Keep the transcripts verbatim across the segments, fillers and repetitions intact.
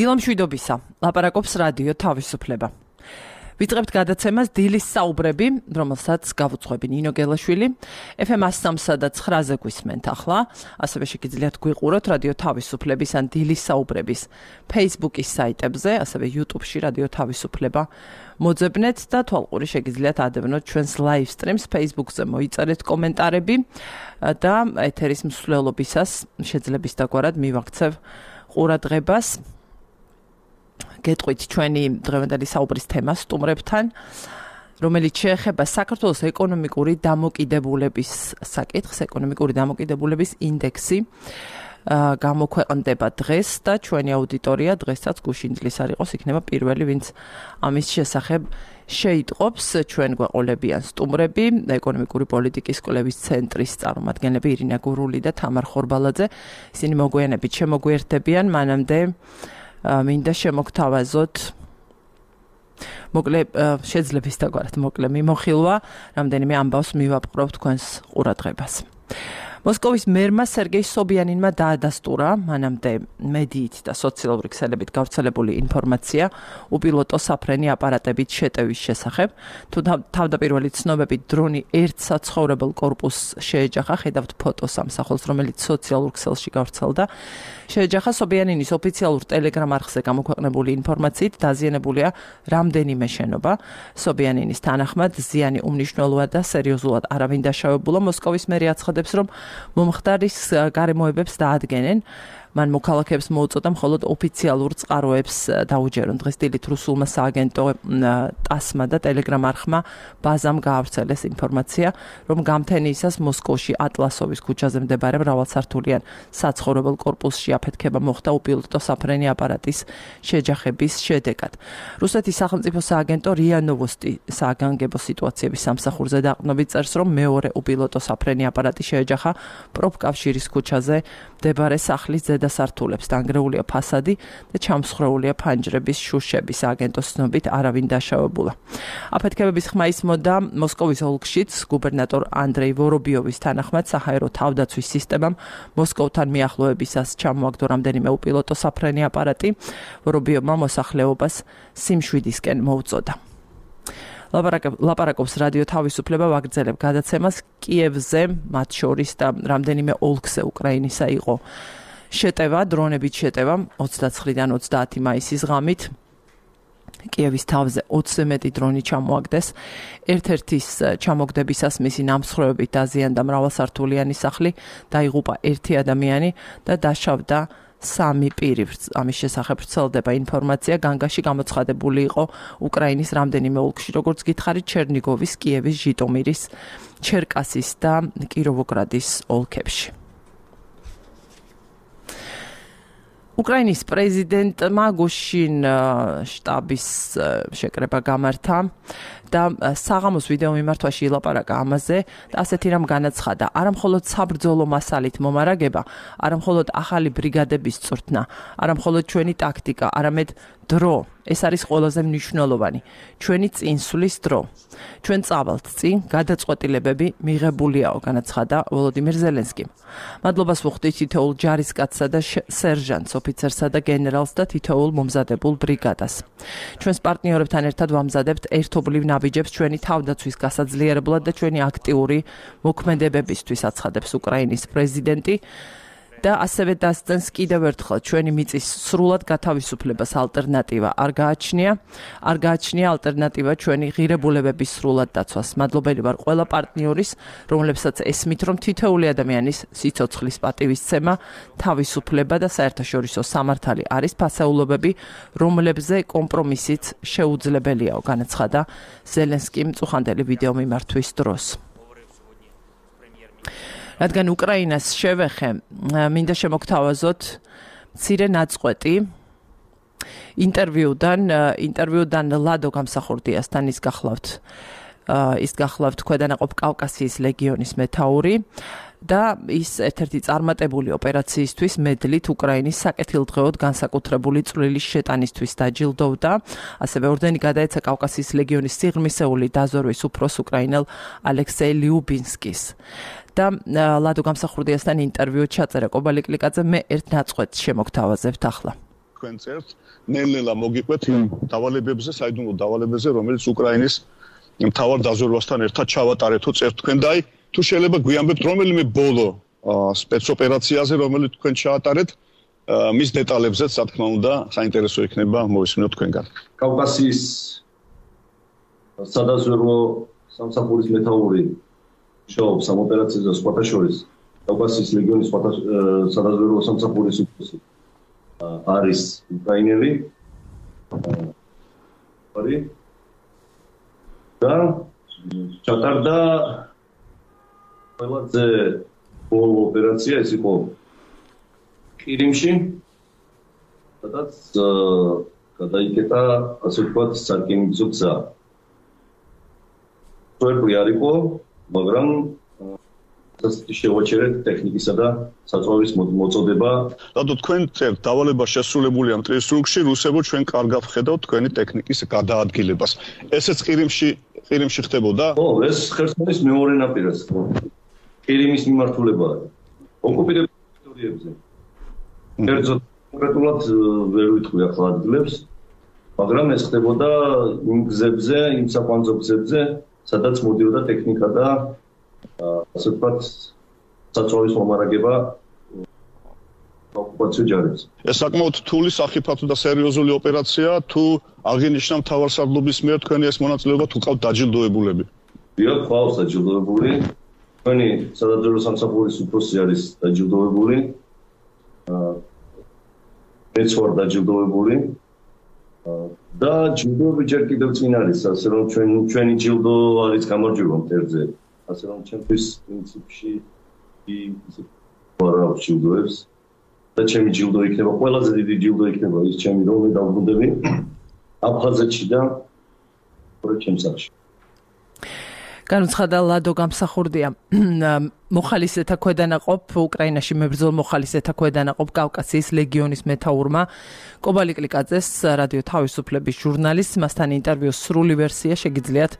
დილამშვიდობისა, ლაპარაკობს რადიო თავისუფლება. ვიწყებთ გადაცემას დილის საუბრები, რომელსაც გავუძღვები ნინო გელაშვილი. ეფ ემ one oh three და nine-ზე გვისმენთ ახლა, ასევე შეგიძლიათ გვიყუროთ რადიო თავისუფლების ან დილის საუბრების Facebook-ის საიტებზე, ასევე YouTube-ში რადიო თავისუფლება მოძებნეთ და თვალყური შეგიძლიათ ადევნოთ ჩვენს live streams Facebook-ზე მოიწერეთ კომენტარები და ეთერის მსვლელობისას შეძლებს დაგვარად მივაქცევ ყურადღებას. გეტყვით ჩვენი დღევანდელი საუბრის თემას სტუმრებთან, რომელიც შეეხება საქართველოს ეკონომიკური დამოკიდებულების საკითხს, ეკონომიკური დამოკიდებულების ინდექსი გამოქვეყნდება დღეს და ჩვენი აუდიტორია დღესაც გუშინდლის არ იყოს, იქნება პირველი, ვინც ამის შესახებ შეიტყობს. ჩვენ გვეყოლებიან სტუმრები, ეკონომიკური პოლიტიკის კვლევის ცენტრის წარმომადგენლები ირინა გურული და თამარ ხორბალაძე. ისინი მოგვიანებით შემოგვიერთდებიან, მანამდე მინდა შემოგთავაზოთ მოკლე შეძლებს დაგვარად მოკლე მიმოხილვა, რამდენიმე ამბავს მივაპყრობ თქვენს ყურადღებას. მოსკოვის მერმა სერგეი სობიანინმა დაადასტურა მანამდე მედიით და სოციალური ქსელებით გავრცელებული ინფორმაცია უპილოტო საფრენი აპარატებით შეტევის შესახებ. თუ თავდაპირველი ცნობებით დრონი ერთ საცხოვრებელ კორპუსს შეეჯახა, ხედავთ ფოტოს სამსახურს, რომელიც სოციალურ ქსელში გავრცელდა. შეეჯახა სობიანინის ოფიციალურ ტელეგრამ არხზე გამოქვეყნებული ინფორმაციით დაზიანებულია რამდენიმე შენობა. სობიანინის თანახმად ზიანი უმნიშვნელოა და სერიოზულად არავინ დაშავებულა. მოსკოვის მერი აცხადებს, რომ მომხდარის გარემოებებს დაადგენენ. მან მოქალაქეებს მოუწოდა მხოლოდ ოფიციალურ წყაროებს დაუჯერონ. დღეს დილით რუსულმა სააგენტო ტასმა და ტელეგრამ არხმა ბაზამ გაავრცელეს ინფორმაცია, რომ გამთენიისას მოსკოვში ატლასოვის ქუჩაზე მდებარე მრავალსართულიან საცხოვრებელ კორპუსში აფეთქება მოხდა უპილოტო საფრენი აპარატის შეჯახების შედეგად. რუსეთის სახელმწიფო სააგენტო რია ნოვოსტი საგანგებო სიტუაციების სამსახურზე დაყრდნობით წერს, რომ მეორე უპილოტო საფრენი აპარატი შეეჯახა პროფკავშირის ქუჩაზე მდებარე სახლის დასართულებს, დანგრეულია ფასადი და ჩამსხრეულია ფანჯრების შუშები. სააგენტოს ცნობით არავინ დაშავებულა. აფეთქებების ხმა ისმოდა მოსკოვის ოლქშიც. გუბერნატორ ანდრეი ვორობიოვის თანახმად საჰაერო თავდაცვის სისტემამ მოსკოვთან მიახლოებისას ჩამოაგდო რამდენიმე უპილოტო საფრენი აპარატი. ვორობიოვმა მოსახლეობას სიმშვიდისკენ მოუწოდა. ლაპარაკობს რადიო თავისუფლება, ვაგრძელებ გადაცემას კიევზე, მათ შორის და რამდენიმე ოლქზე უკრაინისა იყო შეტევა, დრონებით შეტევა ოცდაცხრიდან ოცდაათი მაისის ღამით. კიევის თავზე ოცზე მეტი დრონი ჩამოაგდეს. ერთ-ერთის ჩამოგდებისას მისი ნამსხვრევებით დაზიანდა მრავალსართულიანი სახლი, დაიღუპა ერთი ადამიანი და დაშავდა სამი პირი. ამის შესახებ ვრცელდება ინფორმაცია. განგაში გამოცხადებული იყო უკრაინის რამდენიმე ოლქში, როგორც გითხარით, ჩერნიგოვის, კიევის, ჟიტომირის, ჩერკასის და კიროვოგრადის ოლქებში. უკრაინის პრეზიდენტმა გუშინ შტაბის შეკრება გამართა და საღამოს ვიდეო მიმართვაში ილაპარაკა ამაზე და ასეთი რამ განაცხადა: არა მხოლოდ საბრძოლო მასალით მომარაგება, არა მხოლოდ ახალი ბრიგადების წვრთნა, არა მხოლოდ ჩვენი ტაქტიკა, არამედ დრო. ეს არის ყველაზე მნიშვნელოვანი. ჩვენი წინსვლის დრო. ჩვენ წავალთ წინ, გადაწყვეტილებები მიღებულიაო, განაცხადა ვოლოდიმირ ზელენსკიმ. მადლობას ვუხდით თითოეულ ჯარისკაცსა და სერჟანტს, ოფიცერსა და გენერალს და თითოეულ მომზადებულ ბრიგადას. ჩვენს პარტნიორებთან ერთად ვამზადებთ ერთობლივ ნაბიჯებს ჩვენი თავდაცვის გასაძლიერებლად და ჩვენი აქტიური მოქმედებებისთვის, აცხადებს უკრაინის პრეზიდენტი. და ასევე დასძენს კიდევ ერთხელ ჩვენი მიწის სრულად გათავისუფლებას ალტერნატივა არ გააჩნია, არ გააჩნია ალტერნატივა ჩვენი ღირებულებების სრულად დაცვას. მადლობელი ვარ ყველა პარტნიორის, რომლებსაც ესმით, რომ თითოეული ადამიანის სიცოცხლის პატივისცემა, თავისუფლება და საერთაშორისო სამართალი არის ფასეულობები, რომლებზე კომპრომისიც შეუძლებელიაო, განაცხადა ზელენსკიმ წუხანდელი ვიდეო მიმართვის დროს. რადგან უკრაინას შევეხე, მინდა შემოგთავაზოთ მცირე ნაწყვეტი ინტერვიუდან, ინტერვიუდან ლადო გამსახურდიასთან. ის გახლავთ, ის გახლავთ ქვედანაყოფ კავკასიის ლეგიონის მეთაური და ის ერთ-ერთი წარმატებული ოპერაციისთვის მედლით უკრაინის საკეთილდღეოდ განსაკუთრებული წვლილის შეტანისთვის დაჯილდოვდა. ასევე ორდენი გადაეცა კავკასიის ლეგიონის სიღრმისეული დაზორვის უფროს უკრაინელ ალექსეი ლიუბინსკის. და ლადო გამსახურდიასთან ინტერვიუ ჩაწერა კობალიკლიკაძე. მე ერთ ნაწყვეტს შემოგთავაზებთ ახლა. თქვენ წერთ, ნელ-ნელა მოგიყვეთ იმ დავალებებზე, საიდუმლო დავალებებზე, რომელიც უკრაინის მთავარ დაზვერვასთან ერთად ჩავატარეთო წერთ თქვენ და აი თუ შეიძლება გვიამბებთ რომელიმე ბოლო სპეცოპერაციაზე, რომელიც თქვენ ჩაატარეთ, მის დეტალებზეც, რა თქმა უნდა, საინტერესო იქნება მოვისმინოთ თქვენგან. კავკასიის სადაზვერვო სამსახურის მეთაური მუშაობს ამ ოპერაციაზე სხვათა შორის კავკასიის ლეგიონის სადაზვერვო სამსახურის უფროსი არის უკრაინელი. და ჩატარდა ყველაზე ბოლო ოპერაცია ეს იყო ყირიმში, სადაც გადაიკეტა ასე ვთქვათ სარკინიგზო გზა. პროექტი არ იყო, მაგრამ შევაჩერეთ ტექნიკისა და საწვავის მოწოდება. რადგან თქვენ წერთ დავალება შესრულებულია მტრისრუგში, რუსებო ჩვენ კარგად ვხედავთ თქვენი ტექნიკის გადაადგილებას. ესეც ყირიმში ყირიმში ხდებოდა? ხო, ეს ხერსონის მეორე ნაპირას. ყირიმის მიმართულებაა. ოკუპირებულ ტერიტორიებზე. კერძოდ კონკრეტულად ვერ ვიტყვი ახლა ადგილებს, მაგრამ ეს ხდებოდა იმ გზებზე, იმ საკვანძო გზებზე, სადაც მოდიოდა ტექნიკა და ასე ვთქვათ საწვავის მომარაგება ოკუპაციო ჯარებს. ეს საკმაოდ რთული, სახიფათო და სერიოზული ოპერაცია, თუ აღინიშნა მთავარსარდლობის მიერ თქვენი ეს მონაწილეობა თუ ყავთ დაჯილდოებულები? დიახ, ყავს დაჯილდოებული. თქვენი სადაზვერვო სამსახურის უფროსი არის დაჯილდოებული. მეც ვარ დაჯილდოებული. და ჯილდოები ჯერ კიდევ წინ არის, ასე რომ ჩვენ ჩვენი ჯილდო არის გამარჯვება მტერზე. ასე რომ ჩემთვის პრინციპში ისე ვარ ჯილდოებს და ჩემი ჯილდო იქნება, ყველაზე დიდი ჯილდო იქნება ის ჩემი რომ მე დავბრუნდები აფხაზეთში და ორი ჩემს სახში. განუცხადა ლადო გამსახურდია მოხალისეთა ქვედანაყოფ უკრაინაში მებრძოლ მოხალისეთა ქვედანაყოფ კავკასიის ლეგიონის მეთაურმა კობალი კლიკაძეს რადიო თავისუფლების ჟურნალისტს მასთან ინტერვიუს სრული ვერსია შეგიძლიათ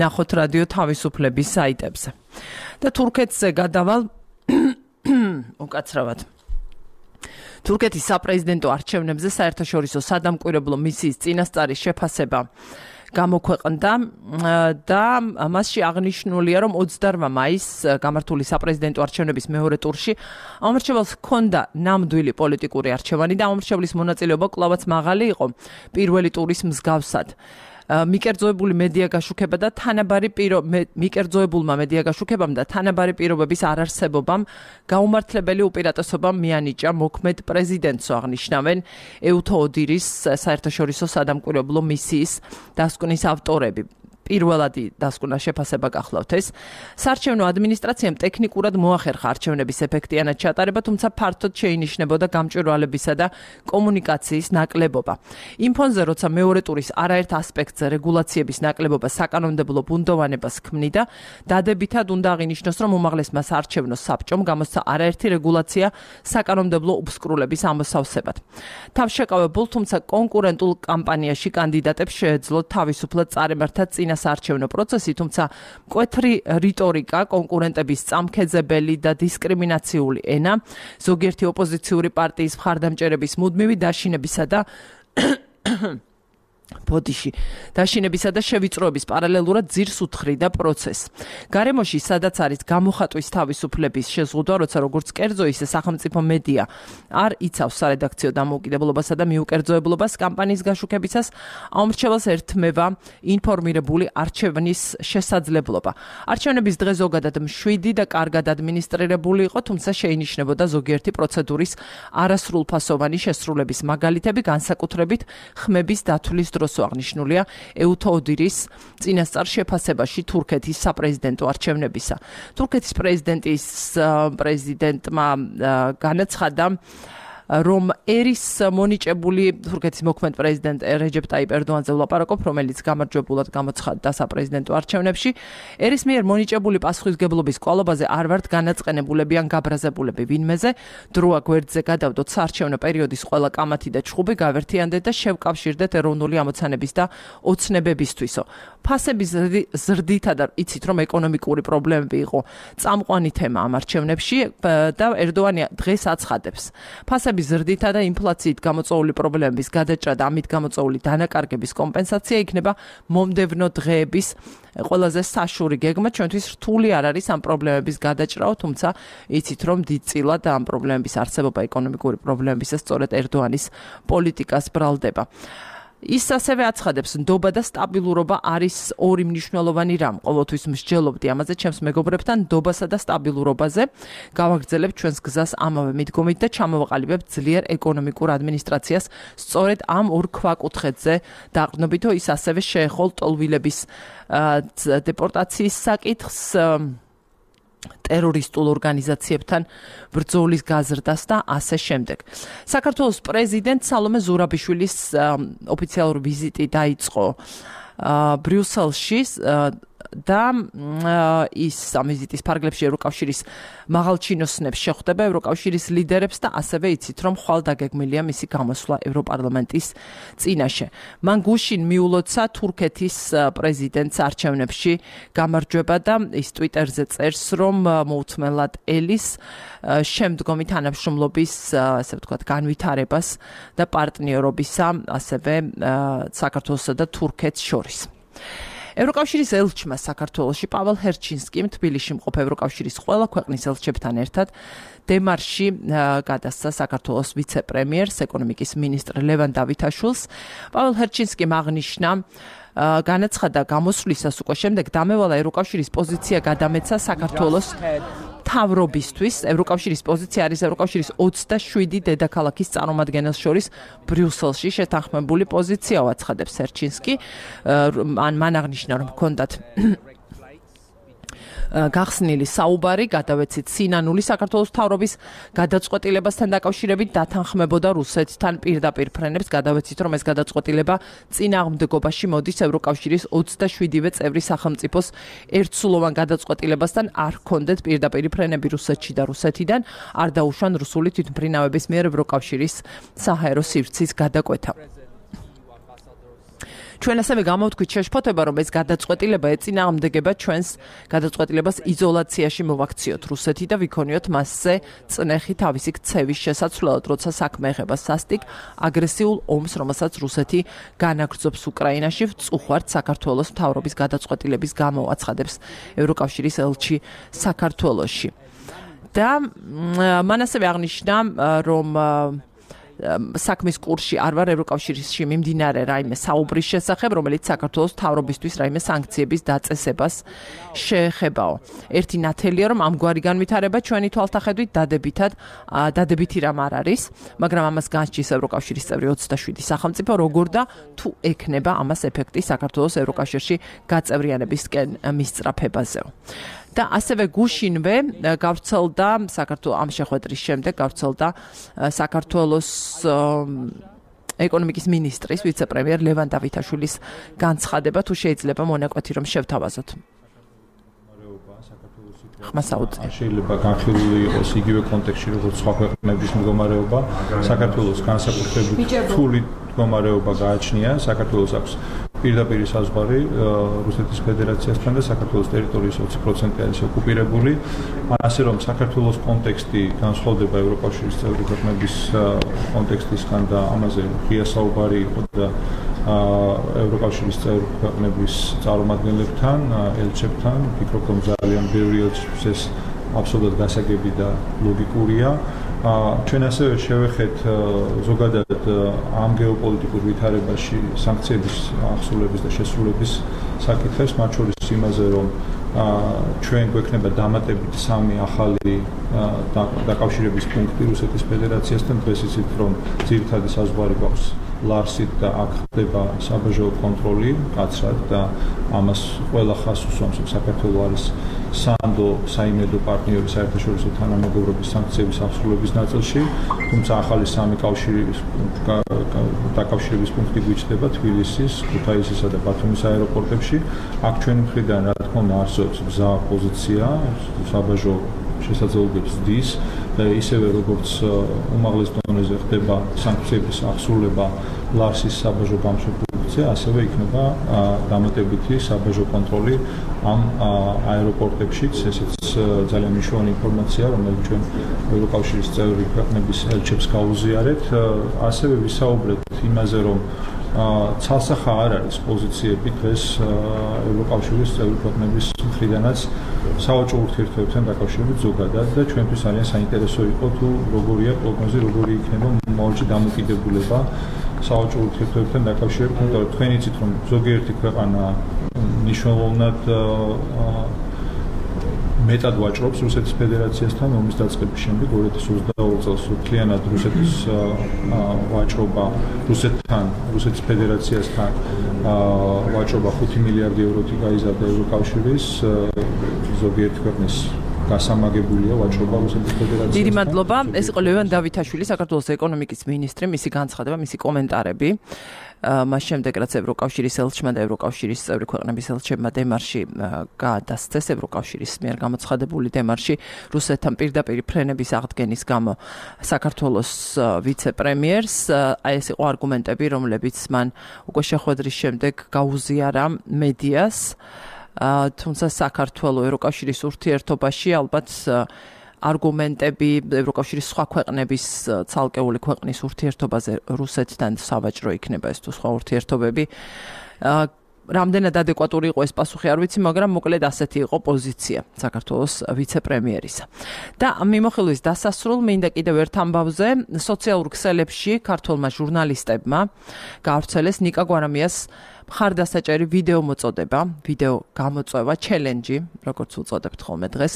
ნახოთ რადიო თავისუფლების საიტებზე. და თურქეთზე გადავალ უკაცრავად. თურქეთის საპრეზიდენტო არჩევნებზე საერთაშორისო სადამკვირვებლო მისიის წინასწარის შეფასება გამოქვეყნდა და მასში აღნიშნულია, რომ ოცდაოთხ მაისს გამართული საპრეზიდენტო არჩევნების მეორე ტურში ამორჩევალს ჰქონდა ნამდვილი პოლიტიკური არჩევანი და ამორჩევლის მონაწილეობა კვლავაც მაღალი იყო პირველი ტურის მსგავსად. მიკერძოებული მედია გაშუქება და თანაბარი პირო მიკერძოებულმა მედია გაშუქებამ და თანაბარი პირობების არარსებობამ გაუმართლებელი უპირატესობა მიანიჭა მოქმედ პრეზიდენტს აღნიშნავენ ეუთო ოდირის საერთაშორისო სადამკვირვებლო მისიის დასკვნის ავტორები. პირველადი დასკვნა შეფასება გახლავთ ეს. საარჩევნო ადმინისტრაციამ ტექნიკურად მოახერხა არჩევნების ეფექტიანად ჩატარება, თუმცა ფართოდ შეინიშნებოდა გამჭვირვალებისა და კომუნიკაციის ნაკლებობა. იმ ფონზე, როცა მეორე ტურის არაერთ ასპექტზე რეგულაციების ნაკლებობა საკანონმდებლო ბუნდოვანებას ქმნიდა, დადებითად უნდა აღინიშნოს, რომ უმაღლესმა საარჩევნო საბჭომ გამოსცა არაერთი რეგულაცია საკანონმდებლო უბსკრულების ამოსავსებად. თავშეკავებულ, თუმცა კონკურენტულ კამპანიაში კანდიდატებს შეეძლოთ თავისუფლად წარემართათ წინა საარჩევნო პროცესი, თუმცა მკვეთრი რიტორიკა, კონკურენტების წამქეძებელი და დისკრიმინაციული ენა, ზოგიერთი ოპოზიციური პარტიის მხარდამჭერების მუდმივი დაშინებისა და ბოდიში დაშინებისა და შევიწროების პარალელურად ძირს უთხრიდა პროცესს. გარემოში, სადაც არის გამოხატვის თავისუფლების შეზღუდვა, როცა როგორც კერძო, ისე სახელმწიფო მედია არ იცავს სარედაქციო დამოუკიდებლობასა და მიუკერძოებლობას კამპანიის გაშუქებისას, ამორჩევალს ერთმევა ინფორმირებული არჩევნის შესაძლებლობა. არჩევნების დღე ზოგადად მშვიდი და კარგად ადმინისტრირებული იყო, თუმცა შეინიშნებოდა ზოგიერთი პროცედურის არასრულფასოვანი შესრულების მაგალითები, განსაკუთრებით ხმების დათვლის დროს აღნიშნულია ეუთო ოდირის წინასწარ შეფასებაში თურქეთის საპრეზიდენტო არჩევნებისა. თურქეთის პრეზიდენტის პრეზიდენტმა განაცხადა, რომ ერის მონიჭებული თურქეთის მოქმედ პრეზიდენტ რეჯეპ ტაიპ ერდოანზე ვლაპარაკობ, რომელიც გამარჯვებულად გამოცხადდა საპრეზიდენტო არჩევნებში. ერის მიერ მონიჭებული პასუხისგებლობის კვალობაზე არ ვართ განაწყენებულები ან გაბრაზებულები ვინმეზე. დროა გვერდზე გადავდოთ საარჩევნო პერიოდის ყველა კამათი და ჩხუბი გავერთიანდეთ და შევკავშირდეთ ეროვნული ამოცანების და ოცნებებისთვისო. ფასების ზრდითა და იცით, რომ ეკონომიკური პრობლემები იყო წამყვანი თემა ამ არჩევნებში და ერდოანი დღეს აცხადებს. ფასების ტემპების ზრდითა და ინფლაციით გამოწვეული პრობლემების გადაჭრა და ამით გამოწვეული დანაკარგების კომპენსაცია იქნება მომდევნო დღეების ყველაზე საშური გეგმა. ჩვენთვის რთული არ არის ამ პრობლემების გადაჭრაო, თუმცა იცით რომ დიდწილად ამ პრობლემების არსებობა ეკონომიკური პრობლემებისა სწორედ ერდოანის პოლიტიკას ბრალდება. ის ასევე აცხადებს, ნდობა და სტაბილურობა არის ორი მნიშვნელოვანი რამ. ყოველთვის მსჯელობდი ამაზე ჩემს მეგობრებთან, ნდობასა და სტაბილურობაზე. გავაგრძელებთ ჩვენს გზას ამავე მიდგომით და ჩამოვაყალიბებთ ძლიერ ეკონომიკურ ადმინისტრაციას სწორედ ამ ორ ქვაკუთხედზე დაყრდნობით, ის ასევე შეეხო ლტოლვილების დეპორტაციის საკითხს, ტერორისტულ ორგანიზაციებთან ბრძოლის გაზრდას და ასე შემდეგ. საქართველოს პრეზიდენტ სალომე ზურაბიშვილის ოფიციალური ვიზიტი დაიწყო ბრიუსელში და ის ამ ვიზიტის ფარგლებში ევროკავშირის მაღალჩინოსნებს შეხვდება ევროკავშირის ლიდერებს და ასევე იცით რომ ხვალ დაგეგმილია მისი გამოსვლა ევროპარლამენტის წინაშე. მან გუშინ მიულოცა თურქეთის პრეზიდენტს არჩევნებში გამარჯვება და ის ტვიტერზე წერს რომ მოუთმენლად ელის შემდგომი თანამშრომლობის ასე ვთქვათ განვითარებას და პარტნიორობისა ასევე საქართველოსა და თურქეთს შორის. ევროკავშირის ელჩმა საქართველოში პაվել ჰერჩინსკიმ თბილისში მყოფ ევროკავშირის ყველა ქვეყნის ელჩებთან ერთად დემარში გადასცა საქართველოს ვიცე-პრემიერს ეკონომიკის მინისტრ ლევან დავითაშვილს. პაվել ჰერჩინსკიმ აღნიშნა განაცხადა გამოსვლისას უკვე შემდეგ დამევალა ევროკავშირის პოზიცია გადამეცა საქართველოს მთავრობისთვის. ევროკავშირის პოზიცია არის ევროკავშირის ოცდაშვიდი დედაქალაქის წარმომადგენელს შორის ბრიუსელში შეთანხმებული პოზიცია, აცხადებს ჰერჩინსკი. მან აღნიშნა რომ ჰქონდათ გახსნილი საუბარი, გადავეცით სინანული საქართველოს მთავრობის გადაწყვეტილებასთან დაკავშირებით დათანხმებოდა რუსეთთან პირდაპირ ფრენებს. გადავეცით რომ ეს გადაწყვეტილება წინააღმდეგობაში მოდის ევროკავშირის ოცდაშვიდივე წევრი სახელმწიფოს ერთსულოვან გადაწყვეტილებასთან არ ჰქონდეთ პირდაპირ ფრენები რუსეთში და რუსეთიდან არ დაუშვან რუსული თვითმფრინავების მიერ ევროკავშირის საჰაერო სივრცის გადაკვეთა. ჩვენ ასევე გამოვთქვით შეშფოთება, რომ ეს გადაწყვეტილება ეწინააღმდეგება ჩვენს გადაწყვეტილებას იზოლაციაში მოვაქციოთ რუსეთი და ვიქონიოთ მასზე წნეხი თავისი ქცევის შესაცვლელად, როცა საქმე ეხება სასტიკ აგრესიულ ომს, რომელსაც რუსეთი განაგრძობს უკრაინაში, ვწუხართ საქართველოს მთავრობის გადაწყვეტილების გამო, აცხადებს ევროკავშირის ელჩი საქართველოში. და მან ასევე აღნიშნა, რომ საქმის კურსში არ ვარ ევროკავშირში მიმდინარე რაიმე საუბრის შესახებ, რომელიც საქართველოს მთავრობისთვის რაიმე სანქციების დაწესებას შეეხებაო. ერთი ნათელია, რომ ამგვარი განვითარება ჩვენი თვალთახედვით დადებითად დადებითი რამ არ არის, მაგრამ ამას განსჯის ევროკავშირის წევრი ოცდაშვიდი სახელმწიფო, როგორ და თუ ექნება ამას ეფექტი საქართველოს ევროკავშირში გაწევრიანებისკენ მისწრაფებაზეო. და ასევე გუშინვე გავრცელდა საქართველოს ამ შეხვედრის შემდეგ გავრცელდა საქართველოს ეკონომიკის მინისტრის ვიცე-პრემიერ ლევან დავითაშვილის განცხადება, თუ შეიძლება მონაკვეთი რომ შევთავაზოთ. ხმასაუძე. შეიძლება განხილული იყოს იგივე კონტექსტში როგორც სხვა ქვეყნების მდგომარეობა, საქართველოს განსაკუთრებით რთული მდგომარეობა გააჩნია, საქართველოს აქვს პირდაპირ საზღვარი რუსეთის ფედერაციასთან და საქართველოს ტერიტორიის ოცი პროცენტი არის ოკუპირებული. ასე რომ საქართველოს კონტექსტი განსხვავდება ევროკავშირის წევრი ქვეყნების კონტექსტისგან და ამაზე ღია საუბარი იყო და ევროკავშირის წევრი ქვეყნების წარმომადგენლებთან, ელჩებთან, ვფიქრობ რომ ძალიან ბევრი ელჩის ეს აბსოლუტურად გასაგები და ლოგიკურია. ჩვენ ასევე შევეხეთ ზოგადად ამ გეოპოლიტიკურ ვითარებაში სანქციების ახსულების და შესრულების საკითხებს, მათ შორის იმაზე, რომ ჩვენ გვექნება დამატებით სამი ახალი დაკავშირების პუნქტი რუსეთის ფედერაციასთან. დღეს იცით, რომ ძირითადი საზღვარი გვაქვს ლარსით და აქ ხდება საბაჟო კონტროლი კაცრად და ამას ყველა ხაზს უსვამს, რომ საქართველო არის სანდო საიმედო პარტნიორი საერთაშორისო თანამეგობრობის სანქციების ახსულების ნაწილში, თუმცა ახალი სამი კავშირის დაკავშირების პუნქტი გვიჩნდება თბილისის, ქუთაისისა და ბათუმის აეროპორტებში. აქ ჩვენი მხრიდან რა თქმა უნდა არსებობს გზა პოზიცია, საბაჟო შესაძლებლობებს დის და ისევე როგორც უმაღლეს დონეზე ხდება სანქციების ახსულება ლარსის საბაჟო გამშვებულ კონფლიქტზე, ასევე იქნება დამატებითი საბაჟო კონტროლი ამ აეროპორტებშიც, ესეც ძალიან მნიშვნელოვანი ინფორმაცია, რომელიც ჩვენ ევროკავშირის წევრი ქვეყნების ელჩებს გაუზიარეთ, ასევე ვისაუბრეთ იმაზე, რომ ცალსახა არ არის პოზიციები დღეს ევროკავშირის წევრი ქვეყნების მხრიდანაც სავაჭრო ურთიერთობებთან დაკავშირებით ზოგადად და ჩვენთვის ძალიან საინტერესო იყო თუ როგორია პროგნოზი, როგორი იქნება მომავალში დამოკიდებულება სავაჭრო ურთიერთობებთან დაკავშირებით, იმიტომ რომ თქვენ იცით რომ ზოგიერთი ქვეყანა მნიშვნელოვნად მეტად ვაჭრობს რუსეთის ფედერაციასთან ომის დაწყების შემდეგ ორი ათას ოცდაორი წელს მთლიანად რუსეთის ვაჭრობა რუსეთთან, რუსეთის ფედერაციასთან ვაჭრობა ხუთი მილიარდი ევროთი გაიზარდა ევროკავშირის ზოგიერთი ქვეყნის გასამაგებულია ვაჭრობა რუსეთის ფედერაციასთან. დიდი მადლობა. ეს იყო ლევან დავითაშვილი, საქართველოს ეკონომიკის მინისტრი, მისი განცხადება, მისი კომენტარები. მას შემდეგ რაც ევროკავშირის ელჩმა და ევროკავშირის წევრი ქვეყნების ელჩებმა დემარში გადასცეს ევროკავშირის მიერ გამოცხადებული დემარში რუსეთთან პირდაპირ ფრენების აღდგენის გამო საქართველოს ვიცე-პრემიერს, აი ეს იყო არგუმენტები, რომლებიც მან უკვე შეხვედრის შემდეგ გაუზიარა მედიას, თუმცა საქართველოს ევროკავშირის ურთიერთობაში ალბათ არგუმენტები ევროკავშირის სხვა ქვეყნების ცალკეული ქვეყნის ურთიერთობაზე რუსეთთან სავაჭრო იქნება ეს თუ სხვა ურთიერთობები. რამდენად ადეკვატური იყო ეს პასუხი არ ვიცი, მაგრამ მოკლედ ასეთი იყო პოზიცია საქართველოს ვიცე-პრემიერისა. და მიმოხილვის დასასრულ მინდა კიდევ ერთ ამბავზე სოციალურ ქსელებში ქართველმა ჟურნალისტებმა გაავრცელეს ნიკა გვარამიას მხარდასაჭერი ვიდეო მოწოდება, ვიდეო გამოწვევა, ჩელენჯი, როგორც უწოდებთ ხოლმე დღეს,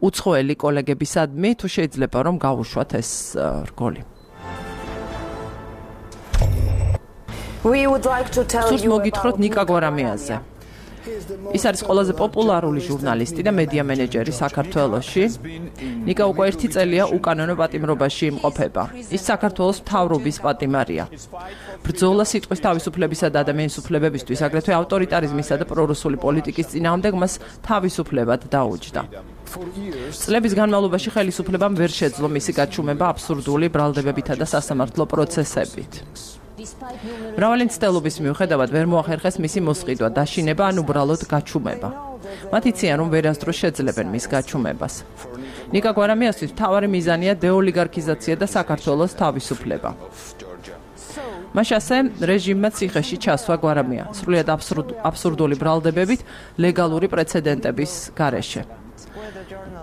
უცხოელი კოლეგებისადმი, თუ შეიძლება რომ გავუშვათ ეს რგოლი. We would like to tell you მოგითხროთ ნიკა გვარამიაზე. ის არის ყველაზე პოპულარული ჟურნალისტი და მედია მენეჯერი საქართველოში. ნიკა უკვე ერთი წელია უკანონო პატიმრობაში იმყოფება. ის საქართველოს მთავრობის პატიმარია. ბრძოლა სიტყვის თავისუფლებისა და ადამიანის უფლებებისთვის, აგრეთვე ავტორიტარიზმისა და პრორუსული პოლიტიკის წინააღმდეგ მას თავისუფლებად დაუჯდა. წლების განმავლობაში ხელისუფლებამ ვერ შეძლო მისი გაჩუმება აბსურდული ბრალდებებითა და სასამართლო პროცესებით. მრავალი მცდელობის მიუხედავად ვერ მოახერხეს მისი მოსყიდვა, დაშინება ან უბრალოდ გაჩუმება. მათ იციან, რომ ვერასდროს შეძლებენ მის გაჩუმებას. ნიკა გვარამიასთვის მთავარი მიზანია დეოლიგარქიზაცია და საქართველოს თავისუფლება. მაშასე რეჟიმმა ციხეში ჩასვა გვარამია, სრულიად აბსურდული ბრალდებებით ლეგალური პრეცედენტების გარეშე.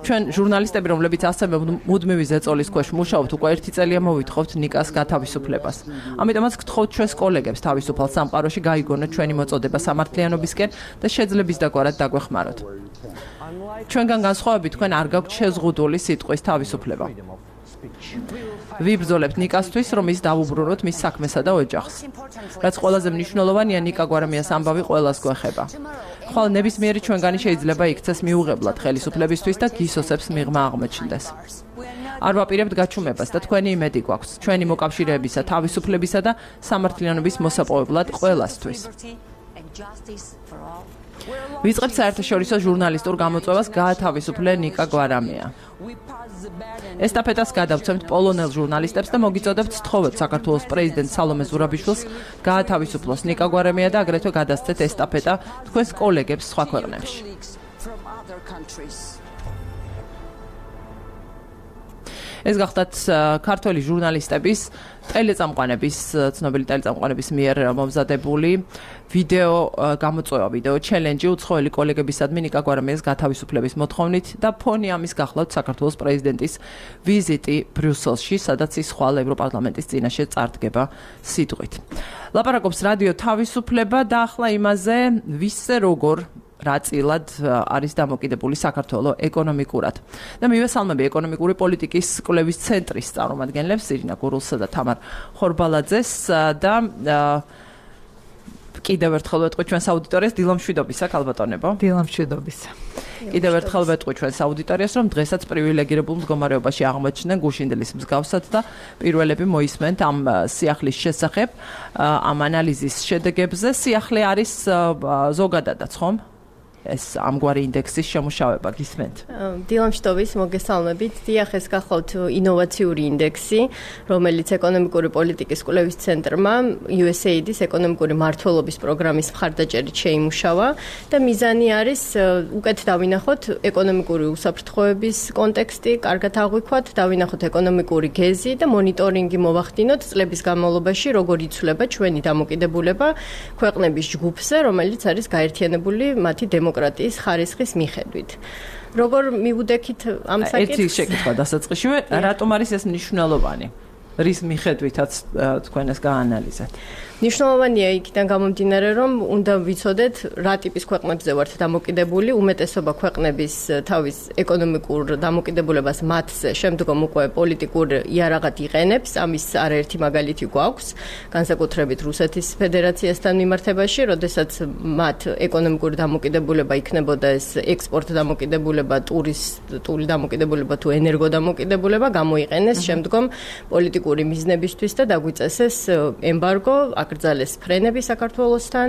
ჩვენ ჟურნალისტები, რომლებიც ასევე მუდმივი ზეწოლის ქვეშ მუშაობთ, უკვე ერთი წელია მოვითხოვთ ნიკას გათავისუფლებას. ამიტომაც გთხოვთ ჩვენს კოლეგებს თავისუფალ სამყაროში გაიგონოთ ჩვენი მოწოდება სამართლიანობისკენ და შეძლების დაგვარად დაგვეხმაროთ. ჩვენგან განსხვავებით თქვენ არ გაქვთ შეზღუდული სიტყვის თავისუფლება. ვიბრძოლებთ ნიკასთვის, რომ ის დავუბრუნოთ მის საქმესა და ოჯახს. რაც ყველაზე მნიშვნელოვანია, ნიკა გვარამიას ამბავი ყველას გვეხება. ხვალ ნებისმიერი ჩვენგანი შეიძლება იქცეს მიუღებლად ხელისუფლებისთვის და გისოსებს მიღმა აღმოჩნდეს. არ ვაპირებთ გაჩუმებას და თქვენი იმედი გვაქვს ჩვენი მოკავშირეებისა, თავისუფლებისა და სამართლიანობის მოსაპოვებლად ყველასთვის. ვიწყებთ საერთაშორისო ჟურნალისტურ გამოწვევას გაათავისუფლე ნიკა გვარამია. ესტაფეტას გადავცემთ პოლონელ ჟურნალისტებს და მოგიწოდებთ სთხოვეთ საქართველოს პრეზიდენტ სალომე ზურაბიშვილს გაათავისუფლოს ნიკა გვარამია და აგრეთვე გადასცეთ ესტაფეტა თქვენს კოლეგებს სხვა ქვეყნებში. ეს გახდათ ქართველი ჟურნალისტების ტელეწამყვანების, ცნობილი ტელეწამყვანების მიერ მომზადებული ვიდეო გამოწვევა, ვიდეო ჩელენჯი უცხოელი კოლეგებისადმი ნიკა გვარამიას გათავისუფლების მოთხოვნით და ფონი ამის გახლავთ საქართველოს პრეზიდენტის ვიზიტი ბრიუსელში, სადაც ის ხვალ ევროპარლამენტის წინაშე წარდგება სიტყვით. ლაპარაკობს რადიო თავისუფლება და ახლა იმაზე, ვისზე როგორ რაწილად არის დამოკიდებული საქართველოს ეკონომიკურად. და მივესალმები ეკონომიკური პოლიტიკის კვლევის ცენტრის წარმომადგენლებს ირინა გურულსა და თამარ ხორბალაძეს და კიდევ ერთხელ ვეტყვი ჩვენს აუდიტორიას დილამშვიდობისა, ქალბატონებო. დილამშვიდობისა. კიდევ ერთხელ ვეტყვი ჩვენს აუდიტორიას, რომ დღესაც პრივილეგირებულ მდგომარეობაში აღმოჩნდნენ გუშინდელის მსგავსად და პირველები მოისმენთ ამ სიახლის შესახებ, ამ ანალიზის შედეგებზე. სიახლე არის ზოგადადაც, ხომ? ეს ამგვარი ინდექსის შემუშავება გისმენთ. დილამშვიდობის მოგესალმებით. დიახ, ეს გახლავთ ინოვაციური ინდექსი, რომელიც ეკონომიკური პოლიტიკის კვლევის ცენტრმა U S A I D-ის ეკონომიკური მმართველობის პროგრამის მხარდაჭერით შეიმუშავა და მიზანი არის უკეთ დავინახოთ ეკონომიკური უსაფრთხოების კონტექსტი, კარგად აღვიქვათ, დავინახოთ ეკონომიკური გეზი და მონიტორინგი მოვახდინოთ წლების განმავლობაში, როგორ იცვლება ჩვენი დამოკიდებულება ქვეყნების ჯგუფზე, რომელიც არის გაერთიანებული მათი დემოკრატიის ხარისხის მიხედვით. როგორ მივუდექით ამ საკითხს? ერთი შეკითხვა დასაწყისშივე, რატომ არის ეს მნიშვნელოვანი? რის მიხედვითაც თქვენ ეს გაანალიზეთ? მნიშვნელოვანია იქიდან გამომდინარე, რომ უნდა ვიცოდეთ, რა ტიპის ქვეყნებზე ვართ დამოკიდებული, უმეტესობა ქვეყნების თავის ეკონომიკურ დამოკიდებულებას მათზე შემდგომ უკვე პოლიტიკურ იარაღად იყენებს, ამის არაერთი მაგალითი გვაქვს, განსაკუთრებით რუსეთის ფედერაციასთან მიმართებაში, როდესაც მათ ეკონომიკური დამოკიდებულება იქნებოდა ეს ექსპორტ დამოკიდებულება, ტურისტული დამოკიდებულება თუ ენერგო დამოკიდებულება, გამოიყენეს შემდგომ პოლიტიკური მიზნებისთვის და დაგვიწესეს ემბარგო, აკრძალეს ფრენები საქართველოსთან,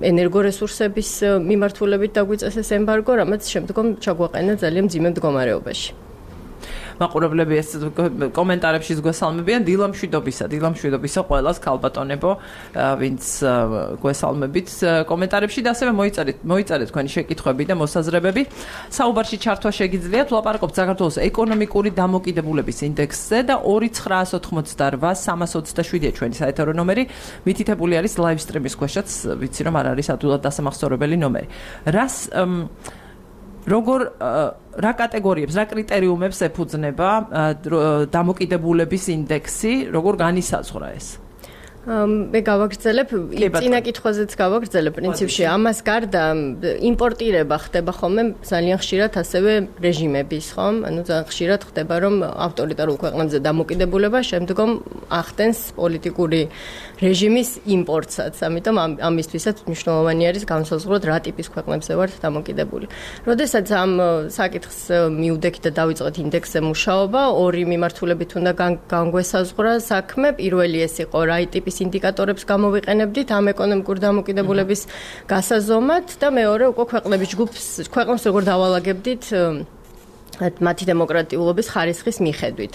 ენერგორესურსების მიმართულებით დაგვიწესეს ემბარგო, რამაც შემდგომ ჩაგვაყენა ძალიან მძიმე მდგომარეობაში. მაყურებლები ეს კომენტარებში გვესალმებიან დილამშვიდობისა, დილამშვიდობისა ყველას ქალბატონებო, ვინც გვესალმებით კომენტარებში და ასევე მოიწერეთ, მოიწერეთ თქვენი შეკითხვები და მოსაზრებები. საუბარში ჩართვა შეგიძლიათ, ვლაპარაკობთ საქართველოს ეკონომიკური დამოკიდებულების ინდექსზე და ორი ცხრაას ოთხმოცდარვა სამას ოცდაშვიდია ჩვენი საეთერო ნომერი, მითითებული არის live stream-ის ქვეშაც, ვიცი რომ არ არის ადვილად დასამახსოვრებელი ნომერი. რას როგორ რა კატეგორიებს, რა კრიტერიუმებს ეფუძნება დამოკიდებულების ინდექსი, როგორ განისაზღვრა ეს? მე გავაგრძელებ, წინა კითხვაზეც გავაგრძელებ პრინციპში. ამას გარდა იმპორტირება ხდება ხოლმე ძალიან ხშირად ასევე რეჟიმების, ხომ? ანუ ძალიან ხშირად ხდება, რომ ავტორიტარულ ქვეყნებზე დამოკიდებულება შემდგომ ახდენს პოლიტიკური რეჟიმის იმპორტსაც. ამიტომ ამისთვისაც მნიშვნელოვანი არის განსაზღვროთ, რა ტიპის ქვეყნებზე ვართ დამოკიდებული. როდესაც ამ საკითხს მივდექით და დავიწყეთ ინდექსზე მუშაობა, ორი მიმართულებით უნდა განგვესაზღვრა საქმე. პირველი ეს იყო რა ტიპის ინდიკატორებს გამოვიყენებდით ამ ეკონომიკური დამოკიდებულების გასაზომად და მეორე უკვე ქვეყნების ჯგუფს, ქვეყნებს როგორ დავალაგებდით მათი დემოკრატიულობის ხარისხის მიხედვით.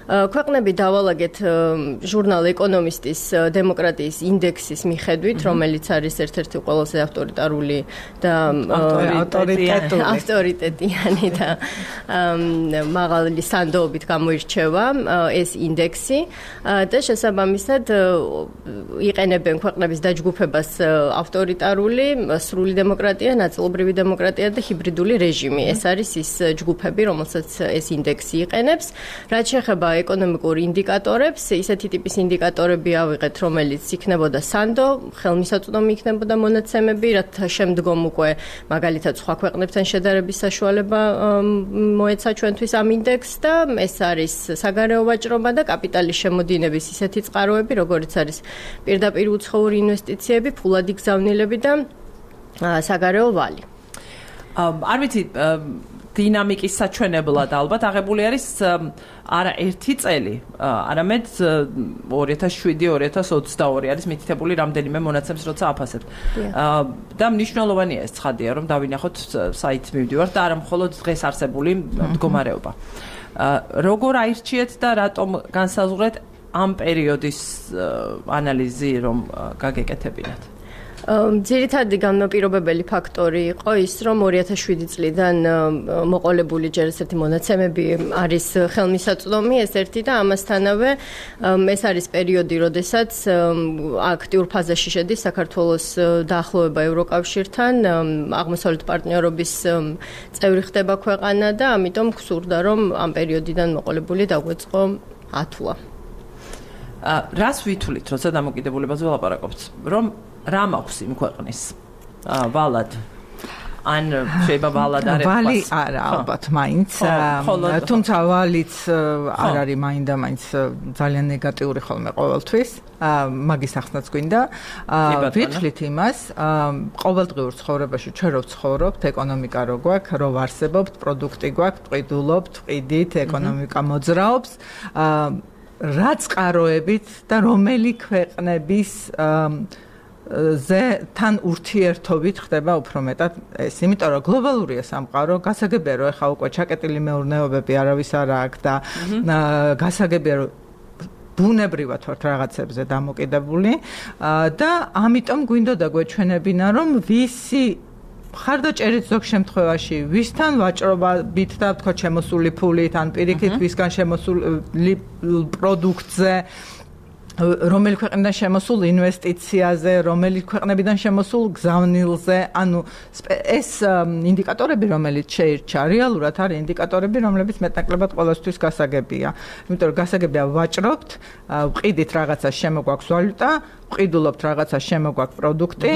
ქვეყნები დავალაგეთ ჟურნალ ეკონომისტის დემოკრატიის ინდექსის მიხედვით, რომელიც არის ერთ-ერთი ყველაზე ავტორიტარული და ავტორიტეტიანი და მაღალი სანდოობით გამოირჩევა ეს ინდექსი და შესაბამისად იყენებენ ქვეყნების დაჯგუფებას ავტორიტარული, სრული დემოკრატია, ნაწილობრივი დემოკრატია და ჰიბრიდული რეჟიმი. ეს არის ის ჯგუფები, რომელსაც ეს ინდექსი იყენებს. რაც შეეხება ეკონომიკურ ინდიკატორებს, ისეთი ტიპის ინდიკატორები ავიღეთ, რომელიც იქნებოდა სანდო, ხელმისაწვდომი იქნებოდა მონაცემები, რათა შემდგომ უკვე მაგალითად სხვა ქვეყნებთან შედარების საშუალება მოეცა ჩვენთვის ამ ინდექსს და ეს არის საგარეო ვაჭრობა და კაპიტალის შემოდინების ისეთი წყაროები, როგორიც არის პირდაპირ უცხოური ინვესტიციები, ფულადი გზავნილები და საგარეო ვალი. არ ვიცი დინამიკის საჩვენებლად ალბათ აღებული არის არა ერთი წელი, არამედ ორი ათას შვიდი ორი ათას ოცდაორი არის მითითებული რამდენიმე მონაცემს როცა აფასებთ. და მნიშვნელოვანია ეს ცხადია, რომ დავინახოთ საით მივდივართ და არა მხოლოდ დღეს არსებული მდგომარეობა. როგორ აირჩიეთ და რატომ განსაზღვრეთ ამ პერიოდის ანალიზი, რომ გაგეკეთებინათ? ძირითადი განმაპირობებელი ფაქტორი იყო ის, რომ ორი ათას შვიდი წლიდან მოყოლებული ჯერ ესეთი მონაცემები არის ხელმისაწვდომი, ეს ერთი და ამასთანავე ეს არის პერიოდი, როდესაც აქტიურ ფაზაში შედის საქართველოს დაახლოება ევროკავშირთან, აღმოსავლეთ პარტნიორობის წევრი ხდება ქვეყანა და ამიტომ გსურდა, რომ ამ პერიოდიდან მოყოლებული დაგვეწყო ათვლა. რას ვითვლით, როცა დამოკიდებულებაზე ვლაპარაკობთ? რომ რა მაქვს იმ ქვეყნის ვალად ან შეიძლება ვალად არ ეხოს ვალი არა ალბათ მაინც თუმცა ვალიც არ არის მაინდა მაინც ძალიან ნეგატიური ხოლმე ყოველთვის მაგის ახსნაც გვინდა ვითვლით იმას ყოველდღიურ ცხოვრებაში ჩვენ რო ვცხოვრობთ ეკონომიკა რო გვაქვს რო ვარსებობთ პროდუქტი გვაქვს ვყიდულობთ ვყიდით ეკონომიკა მოძრაობს რა წყაროებით და რომელი ქვეყნების ზე თან ურთიერთობით ხდება უფრო მეტად ეს, იმიტომ რომ გლობალურია სამყარო, გასაგებია რომ ეხა უკვე ჩაკეტილი მეურნეობები არავის არ აქვს და გასაგებია რომ ბუნებრივად ვართ რაღაცებზე დამოკიდებული და ამიტომ გვინდოდა გვეჩვენებინა რომ ვისი ხარდაჭერით ზოგ შემთხვევაში ვისთან ვაჭრობებით და თქვა შემოსული ფულით ან პირიქით ვისგან შემოსული პროდუქტზე რომელი ქვეყნიდან შემოსულ ინვესტიციაზე, რომელი ქვეყნებიდან შემოსულ გზავნილზე, ანუ ეს ინდიკატორები, რომელიც შეირჩა, რეალურად არის ინდიკატორები, რომლებიც მეტნაკლებად ყველასთვის გასაგებია. იმიტომ რომ გასაგებია ვაჭრობთ, ვყიდით რაღაცას შემოგვაქვს ვალუტა, ვყიდულობთ რაღაცას შემოგვაქვს პროდუქტი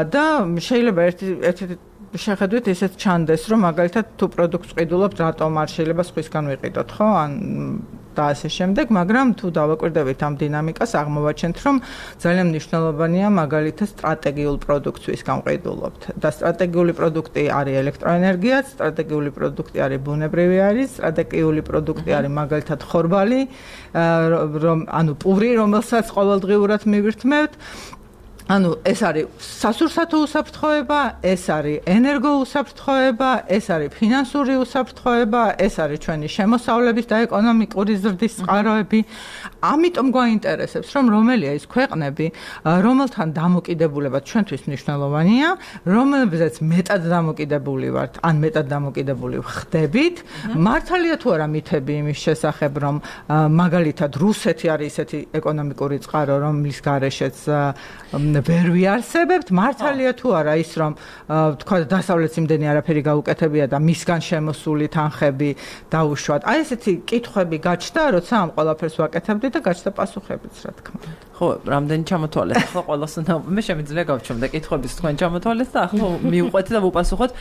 და შეიძლება ერთი ერთი შეხედვით ისეთ ჩანდეს, რომ მაგალითად თუ პროდუქტს ვყიდულობთ, რატომ არ შეიძლება სხვისგან ვიყიდოთ, ხო? ან და ასე შემდეგ, მაგრამ თუ დავაკვირდებით ამ დინამიკას, აღმოვაჩენთ, რომ ძალიან მნიშვნელოვანია მაგალითად სტრატეგიულ პროდუქტს ვისგან ვყიდულობთ. და სტრატეგიული პროდუქტი არის ელექტროენერგიაც, სტრატეგიული პროდუქტი არის ბუნებრივი არის, სტრატეგიული პროდუქტი არის მაგალითად ხორბალი, რომ ანუ პური, რომელსაც ყოველდღიურად მივირთმევთ. ანუ ეს არის სასურსათო უსაფრთხოება, ეს არის ენერგო უსაფრთხოება, ეს არის ფინანსური უსაფრთხოება, ეს არის ჩვენი შემოსავლების და ეკონომიკური ზრდის წყაროები. ამიტომ გვაინტერესებს, რომ რომელია ის ქვეყნები, რომელთან დამოკიდებულება ჩვენთვის მნიშვნელოვანია, რომელზეც მეტად დამოკიდებული ვართ, ან მეტად დამოკიდებული ხდებით. მართალია თუ არა მითები იმის შესახებ, რომ მაგალითად რუსეთი არის ისეთი ეკონომიკური წყარო, რომლის გარეშეც ვერ ვიარსებებთ, მართალია თუ არა ის, რომ თქვა დასავლეთს იმდენი არაფერი გაუკეთებია და მისგან შემოსული თანხები დაუშვათ. აი ესეთი კითხვები გაჩნდა, როცა ამ ყველაფერს ვაკეთებდი და გაჩნდა პასუხებიც, რა თქმა უნდა. ხო, რამდენი ჩამოთვალეთ, ახლა ყველას მე შემიძლია გავჩვენო კითხვების თქვენ ჩამოთვალეთ და ახლა მივყვეთ და ვუპასუხოთ.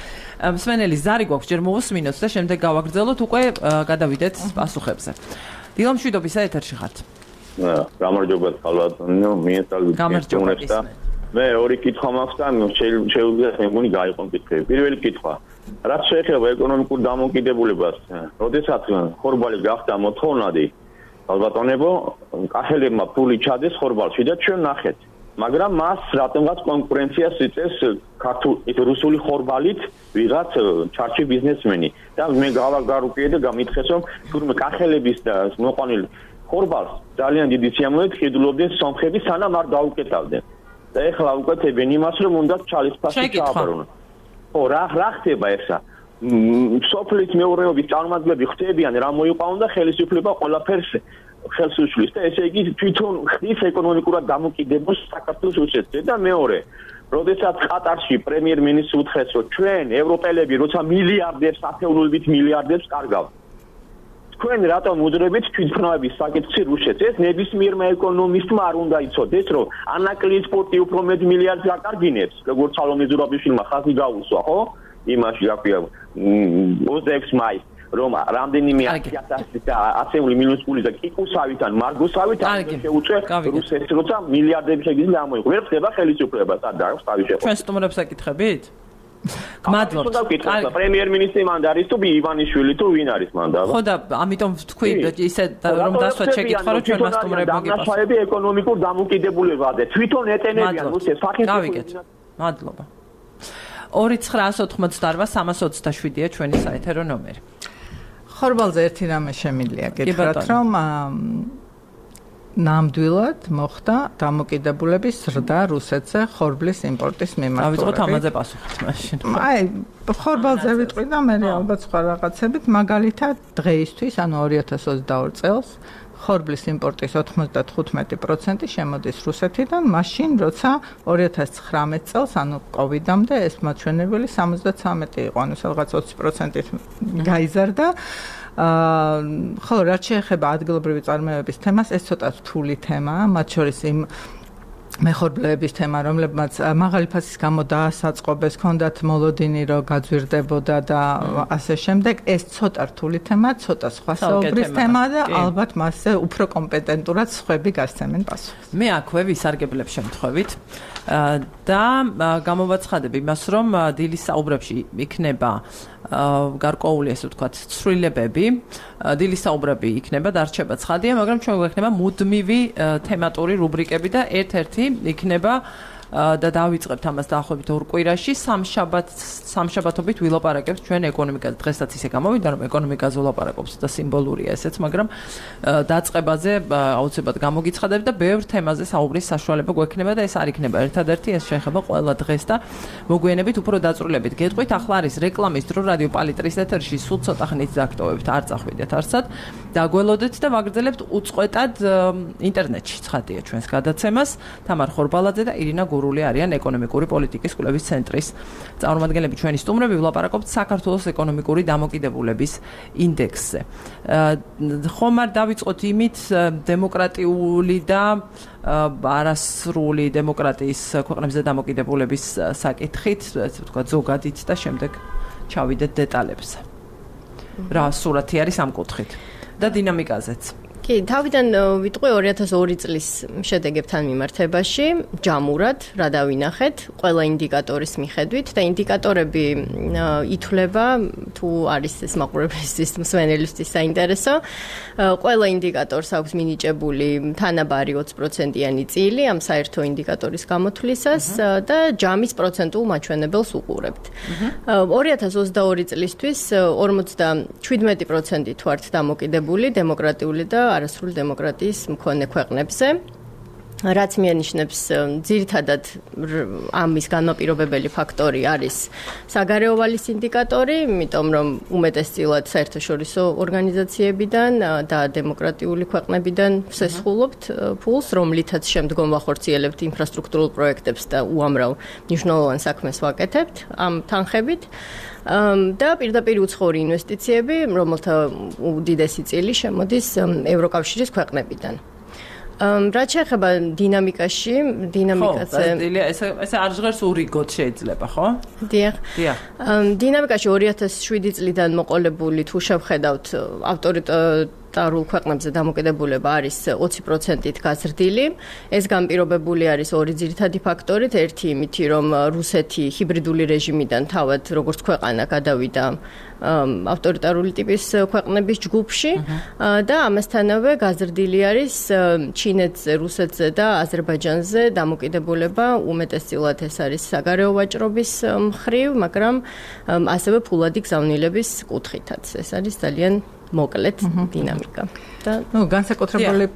მსმენელი ზარი გვაქვს, ჯერ მოვუსმინოთ და შემდეგ გავაგრძელოთ, უკვე გადავიდეთ პასუხებზე. დილა მშვიდობისა ეთერში ხართ. გამარჯობა ხალხო, მიესალმებით გესწრებს და მე ორი კითხვა მაქვს და შეუძლია მე მგონი გაიყო კითხვები. პირველი კითხვა, რაც შეეხება ეკონომიკურ დამოკიდებულებას, როდესაც ხორბალი გახდა მოთხოვნადი, ალბათონებო, კახელებმა ფული ჩადეს ხორბალში და ჩვენ ნახეთ. მაგრამ მას რატომღაც კონკურენციას იწევს ქართულ რუსული ხორბალით ვიღაც ჩარჩი ბიზნესმენი და მე გავაგარუპიე და გამითხეს რომ თურმე კახელების და მოყვანილი ხორბალს ძალიან დიდი სიამოვნებით ხიდულობდნენ სომხები სანამ არ დაუკეტავდნენ და ეხლა უკეთებენ იმას რომ უნდა ჩალისფასი ჩააბარონ. ხო, რა რა ხდება ეხლა? სოფლის მეურნეობის წარმომადგენლები ხდებიან რა მოიყვანონ და ხელისუფლება ყველაფერს ხელს უშლის და ესე იგი თვითონ ხდის ეკონომიკურად დამოკიდებულს საქართველოს რუსეთზე და მეორე როდესაც ყატარში პრემიერ-მინისტრს უთხრეს რომ ჩვენ ევროპელები როცა მილიარდებს ათეულობით მილიარდებს კარგავთ თქვენ რატომ უძრებით თვითმფრინავების საკითხი რუსეთს ეს ნებისმიერმა ეკონომისტმა არ უნდა იცოდეს რომ ანაკლის სპორტი უფრო მეტ მილიარდს აკარგინებს როგორც სალომე ზურაბიშვილმა ხაზი გაუსვა ხო იმაში აკვია ოცდაექვსი მაისს რომ რამდენიმე ათასი და ასეული მინუს პული და კიკუსავით ან მარგოსავით შეუწევ რუსეთს როცა მილიარდები შეგიძლია ამოიღო ვერ ხდება ხელისუფლება და დააქვს თავი შეყო ჩვენ სტუმრებს აკითხებით გმადლობთ. კარგი, პრემიერ-მინისტრი მანდ არის თუ ივანიშვილი თუ ვინ არის მანდ? ხო და ამიტომ თქვი ისე რომ დასვათ შეკითხვა რომ ჩვენ მას სტუმრებმა გიპასუხოთ. დამნაშავეები ეკონომიკურ დამოკიდებულებაზე თვითონ ეტენებიან რუსეთს სახელმწიფო. გავიგეთ. მადლობა. ორი ცხრაას ოთხმოცდაარბა სამას ოცდაშვიდია ჩვენი საეთერო ნომერი. ხორბალზე ერთი რამე შემიძლია გითხრათ რომ ნამდვილად მოხდა დამოკიდებულების ზრდა რუსეთზე ხორბლის იმპორტის მიმართულებით. დავიწყოთ ამაზე პასუხით მაშინ. აი, ხორბალზე ვიტყვი და მე ალბათ სხვა რაღაცებით, მაგალითად დღეისთვის, ანუ ორი ათას ოცდაორი წელს ხორბლის იმპორტის ოცდათხუთმეტი პროცენტი შემოდის რუსეთიდან, მაშინ როცა ორი ათას ცხრამეტ წელს, ანუ კოვიდამდე ეს მაჩვენებელი სამოცდათვრამეტი იყო, ანუ რაღაც ოცი პროცენტით გაიზარდა. აა ხო, რაც შეეხება ადგილობრივი წარმოებების თემას, ეს ცოტა რთული თემაა, მათ შორის იმ მეხორბლეების თემა, რომლებმაც მაღალი ფასის გამო დაასაწყობეს, ჰქონდათ მოლოდინი, რომ გაძვირდებოდა და ასე შემდეგ. ეს ცოტა რთული თემა, ცოტა სხვა საუბრის თემა და ალბათ მასზე უფრო კომპეტენტურად სხვები გასცემენ პასუხს. მე აქვე ვისარგებლებ შემთხვევით და გამოვაცხადებ იმას, რომ დილის საუბრებში იქნება გარკვეული ესე ვთქვათ ცვლილებები, დილის საუბრები იქნება დარჩება ცხადია, მაგრამ ჩვენ გვექნება მუდმივი თემატური რუბრიკები და ერთ-ერთი იქნება და დავიწყებთ ამას დაახლოებით ორ კვირაში. სამშაბათს სამშაბათობით ვილაპარაკებთ ჩვენ ეკონომიკაზე. დღესაც ისე გამოვიდა, რომ ეკონომიკაზე ვილაპარაკობს და სიმბოლურია ესეც, მაგრამ დაწყებაზე აუცილებლად გამოგიცხადებ და ბევრ თემაზე საუბრის საშუალება გვექნება და ეს არ იქნება ერთადერთი, ეს შეეხება ყველა დღეს და მოგვიანებით უფრო დაწვრილებით. გეტყვით, ახლა არის რეკლამის დრო რადიო პალიტრის ეთერში, სულ ცოტა ხნით დაგტოვებთ, არ წახვიდეთ არსად. დაგველოდეთ და ვაგრძელებთ უწყვეტად ინტერნეტში ცხადია ჩვენს გადაცემას. თამარ ხორბალაძე და ირინა გურული არიან ეკონომიკური პოლიტიკის კვლევის ცენტრის წარმომადგენლები. ჩვენი სტუმრები ვილაპარაკობთ საქართველოს ეკონომიკური დამოკიდებულების ინდექსზე. ხომ არ დავიწყოთ იმით დემოკრატიული და არასრული დემოკრატიის ქვეყნებზე დამოკიდებულების საკითხით, ესე ვთქვათ, ზოგადით და შემდეგ ჩავიდეთ დეტალებზე. რა სურათი არის ამ კუთხით და დინამიკაზეც. კი, თავიდან ვიტყვი ორი ათას ორი წლის შედეგებთან მიმართებაში, ჯამურად რა დავინახეთ, ყველა ინდიკატორის მიხედვით და ინდიკატორები ითვლება თუ არის ეს მაყურებლისთვის, მსმენელისთვის საინტერესო. ყველა ინდიკატორს აქვს მინიჭებული თანაბარი ოცი პროცენტიანი წილი ამ საერთო ინდიკატორის გამოთვლისას და ჯამის პროცენტულ მაჩვენებელს უყურებთ. ორი ათას ოცდაორი წლისთვის ორმოცდაშვიდმეტი პროცენტით ვართ დამოკიდებული დემოკრატიული და არასრული დემოკრატიის მქონე ქვეყნებზე, რაც მიანიშნებს ძირითადად ამის განმაპირობებელი ფაქტორი არის საგარეო ვალის ინდიკატორი, იმიტომ რომ უმეტესწილად საერთაშორისო ორგანიზაციებიდან და დემოკრატიული ქვეყნებიდან ვსესხულობთ ფულს, რომლითაც შემდგომ ვახორციელებთ ინფრასტრუქტურულ პროექტებს და უამრავ მნიშვნელოვან საქმეს ვაკეთებთ ამ თანხებით. და პირდაპირ უცხოური ინვესტიციები, რომელთა უდიდესი წილი შემოდის ევროკავშირის ქვეყნებიდან. რაც შეეხება დინამიკაში, დინამიკაზე ესე ესე არ ჟღერს ურიგოთ შეიძლება, ხო? დიახ. დიახ. დინამიკაში ორი ათას შვიდი წლიდან მოყოლებული თუ შევხედავთ ავტორიტარულ ქვეყნებზე დამოკიდებულება არის ოცი პროცენტით გაზრდილი. ეს განპირობებული არის ორი ძირითადი ფაქტორით, ერთი იმითი, რომ რუსეთი ჰიბრიდული რეჟიმიდან თავად როგორც ქვეყანა გადავიდა ავტორიტარული ტიპის ქვეყნების ჯგუფში და ამასთანავე გაზრდილი არის ჩინეთზე, რუსეთზე და აზერბაიჯანზე დამოკიდებულება, უმეტესწილად ეს არის საგარეო ვაჭრობის მხრივ, მაგრამ ასევე ფულადი გზავნილების კუთხითაც. ეს არის ძალიან მოკლედ დინამიკა. და ნუ განსაკუთრებული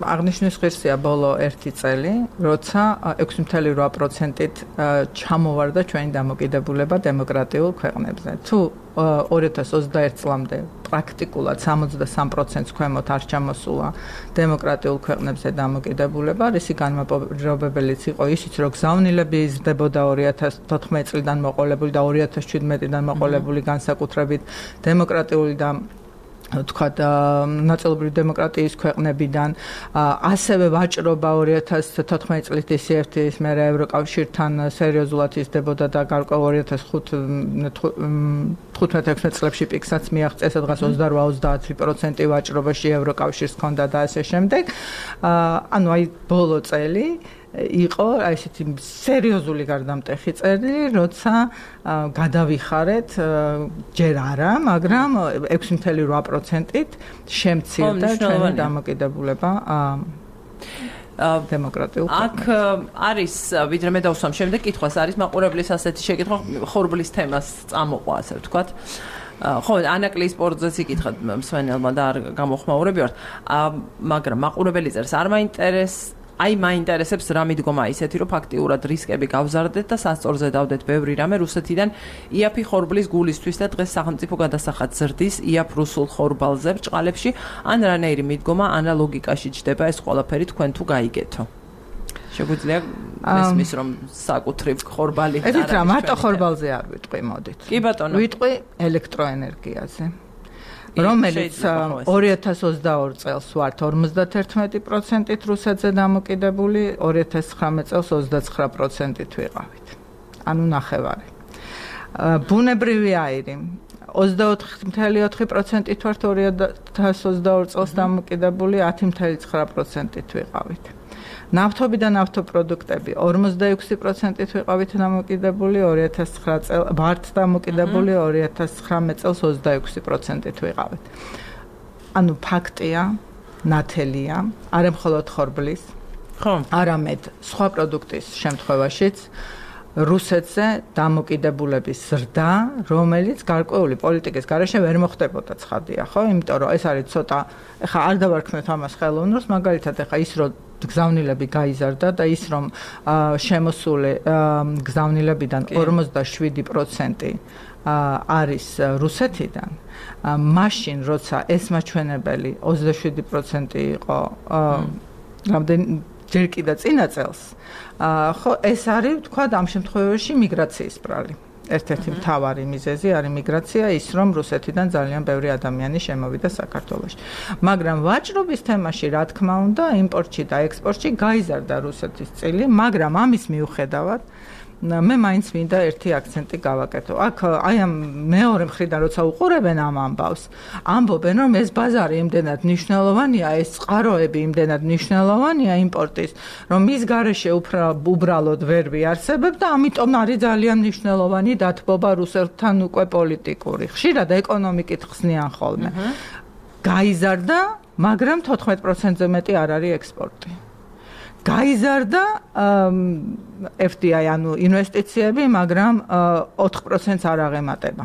აღნიშნვის ღირსია ბოლო ერთი წელი, როცა ექვსი წელი რვა პროცენტით ჩამოვარდა ჩვენი დამოკიდებულება დემოკრატიულ ქვეყნებზე. თუ ორი ათას ოცდაერთი წლამდე პრაქტიკულად სამოცდასამი პროცენტს ქვემოთ არ ჩამოსულა დემოკრატიულ ქვეყნებზე დამოკიდებულება, რისი განმაპირობებელიც იყო ისიც, რომ გზავნილები იზრდებოდა ორი ათას თოთხმეტი წლიდან მოყოლებული და ორი ათას შვიდმეტიდან მოყოლებული განსაკუთრებით დემოკრატიული და თქვათ ნაწილობრივ დემოკრატიის ქვეყნებიდან, ასევე ვაჭრობა ორი ათას თოთხმეტი წლის დისიერთის მერე ევროკავშირთან სერიოზულად იზრდებოდა და გარკვეულ ორი ათას თხუთმეტ ექვსმეტ წლებში პიკსაც მიაღწია, სადღაც ოცდარვა ოცდაათი პროცენტი ვაჭრობაში ევროკავშირს ჰქონდა და ასე შემდეგ. ანუ აი ბოლო წელი იყო აი ესეთი სერიოზული გარდამტეხი წელი, როცა გადავიხარეთ ჯერ არა, მაგრამ ექვსი წელი რვა პროცენტით შემცირდა ჩვენი დამოკიდებულება დემოკრატიულ აქ არის, ვიდრე მე დავსვამ შემდეგ კითხვას, არის მაყურებლის ასეთი შეკითხვა ხორბლის თემას წამოყვა, ასე ვთქვათ. ხო, ანაკლის სპორტზეც იკითხა მსმენელმა და არ გამოხმაურები ვართ, მაგრამ მაყურებელი წერს არ მაინტერესებს აი მაინტერესებს რა მიდგომა ისეთი, რომ ფაქტიურად რისკები გავზარდეთ და სასწორზე დავდეთ ბევრი რამე რუსეთიდან იაფი ხორბლის გულისთვის და დღეს სახელმწიფო გადასახადს ზრდის იაფ რუსულ ხორბალზე ბრჭყალებში, ან რანაირი მიდგომა ანალოგიკაში ჯდება ეს ყველაფერი თქვენ თუ გაიგეთო. შეგვიძლია მესმის რომ საკუთრივ ხორბალი არ არის. ეს რა მარტო ხორბალზე არ ვიტყვი, მოდით. კი ბატონო. ვიტყვი ელექტროენერგიაზე. რომელიც ორი ათას ოცდაორი წელს ვართ ორმოცდათერთმეტი პროცენტით რუსეთზე დამოკიდებული, ორი ათას ცხრამეტ წელს ოცდაცხრა პროცენტით ვიყავით. ანუ ნახევარი. ბუნებრივი აირი ოცდაოთხი წელი ოთხი პროცენტით ვართ ორი ათას ოცდაორი წელს დამოკიდებული, ათი წელი ცხრა პროცენტით ვიყავით. ნავთობი და ნავთობპროდუქტები ორმოცდაექვსი პროცენტით ვიყავით დამოკიდებული, ორი ათას ცხრა წელს ვართ დამოკიდებული, ორი ათას ცხრამეტ წელს ოცდაექვსი პროცენტით ვიყავით. ანუ ფაქტია, ნათელია, არა მხოლოდ ხორბლის, არამედ სხვა პროდუქტის შემთხვევაშიც რუსეთზე დამოკიდებულების ზრდა, რომელიც გარკვეული პოლიტიკის გარეშე ვერ მოხდებოდა ცხადია, ხო? იმიტომ რომ ეს არის ცოტა, ეხლა არ დავარქმევთ ამას ხელოვნურს, მაგალითად ეხლა ის რომ გზავნილები გაიზარდა და ის რომ შემოსული გზავნილებიდან ორმოცდაშვიდი პროცენტი არის რუსეთიდან, მაშინ როცა ეს მაჩვენებელი ოცდაშვიდი პროცენტი იყო რამდენი ჯერ კიდევ წინა წელს, ხო, ეს არის თქვა ამ შემთხვევაში მიგრაციის ბრალი. ერთ-ერთი მთავარი მიზეზი არის მიგრაცია, ის რომ რუსეთიდან ძალიან ბევრი ადამიანი შემოვიდა საქართველოში. მაგრამ ვაჭრობის თემაში, რა თქმა უნდა, იმპორტში და ექსპორტში გაიზარდა რუსეთის წილი, მაგრამ ამის მიუხედავად მე მაინც მინდა ერთი აქცენტი გავაკეთო. აქ აი ამ მეორე მხრიდან როცა უყურებენ ამ ამბავს, ამბობენ რომ ეს ბაზარი იმდენად მნიშვნელოვანია, ეს წყაროები იმდენად მნიშვნელოვანია იმპორტის, რომ მის გარეშე უბრალოდ ვერ ვიარსებებ და ამიტომ არის ძალიან მნიშვნელოვანი დათბობა რუსეთთან უკვე პოლიტიკური. ხშირად ეკონომიკით ხსნიან ხოლმე. გაიზარდა, მაგრამ თოთხმეტ პროცენტზე მეტი არ არის ექსპორტი. გაიზარდა ეფ დი აი, ანუ ინვესტიციები, მაგრამ ოთხ პროცენტს არ აღემატება.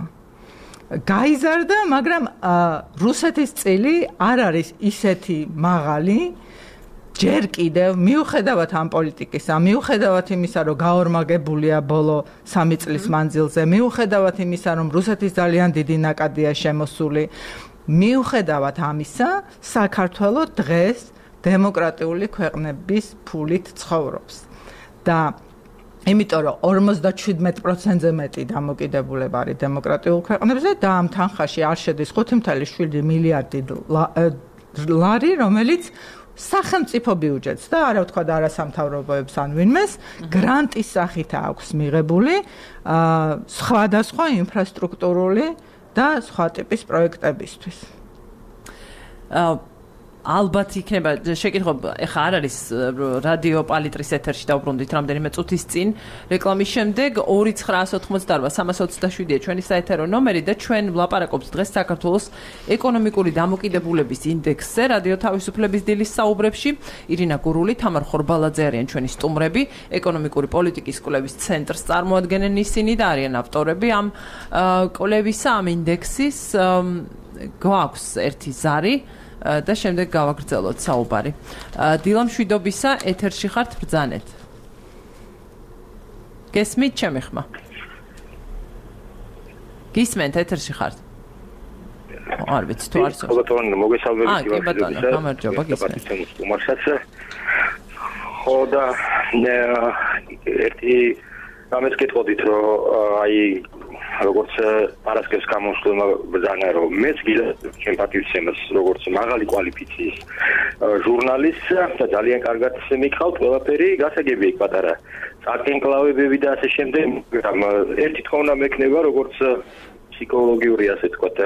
გაიზარდა, მაგრამ რუსეთის წილი არ არის ისეთი მაღალი, ჯერ კიდევ მიუხედავად ამ პოლიტიკისა, მიუხედავად იმისა, რომ გაორმაგებულია ბოლო სამი წლის მანძილზე, მიუხედავად იმისა, რომ რუსეთის ძალიან დიდი ნაკადია შემოსული, მიუხედავად ამისა, საქართველო დღეს დემოკრატიული ქვეყნების ფულით ცხოვრობს და იმიტომ რომ ორმოცდაშვიდმეტ პროცენტზე მეტი დამოკიდებულება არის დემოკრატიულ ქვეყნებზე და ამ თანხაში არ შედის ხუთი წუთი შვიდი მილიარდი ლარი, რომელიც სახელმწიფო ბიუჯეტს და არა ვთქვა და არასამთავრობოებს ან ვინმეს გრანტის სახით აქვს მიღებული სხვადასხვა ინფრასტრუქტურული და სხვა ტიპის პროექტებისთვის. ალბათ იქნება შეკითხვა, ეხა არ არის რადიო პალიტრის ეთერში დავბრუნდით რამდენიმე წუთის წინ რეკლამის შემდეგ ორი ცხრაას ოცდაოთხმოცდაარბა სამას ოცდაშვიდია ჩვენი საეთერო ნომერი და ჩვენ ვლაპარაკობთ დღეს საქართველოს ეკონომიკური დამოკიდებულების ინდექსზე რადიო თავისუფლების დილის საუბრებში. ირინა გურული, თამარ ხორბალაძე არიან ჩვენი სტუმრები, ეკონომიკური პოლიტიკის კვლევის ცენტრს წარმოადგენენ ისინი და არიან ავტორები ამ კვლევისა, ამ ინდექსის. გვაქვს ერთი ზარი და შემდეგ გავაგრძელოთ საუბარი. დილა მშვიდობისა, ეთერში ხართ, ბრძანეთ. გესმით ჩემი ხმა? გისმენთ, ეთერში ხართ? არ ვიცი თუ არის. ბატონო, მოგესალმებით. აა, კი ბატონო, გამარჯობა, გისმენთ. ხო და ერთი რამეს გეტყოდით, რომ აი როგორც პარასკევს გამოსვლმა ბრძანა, რომ მეც გიდა ჩემ პატივცემას როგორც მაღალი კვალიფიციის ჟურნალისტს და ძალიან კარგად მიყავთ ყველაფერი, გასაგებია იქ პატარა წარკენკლავებები და ასე შემდეგ. ერთი თქმა უნდა მექნება როგორც ფსიქოლოგიური, ასე ვთქვათ,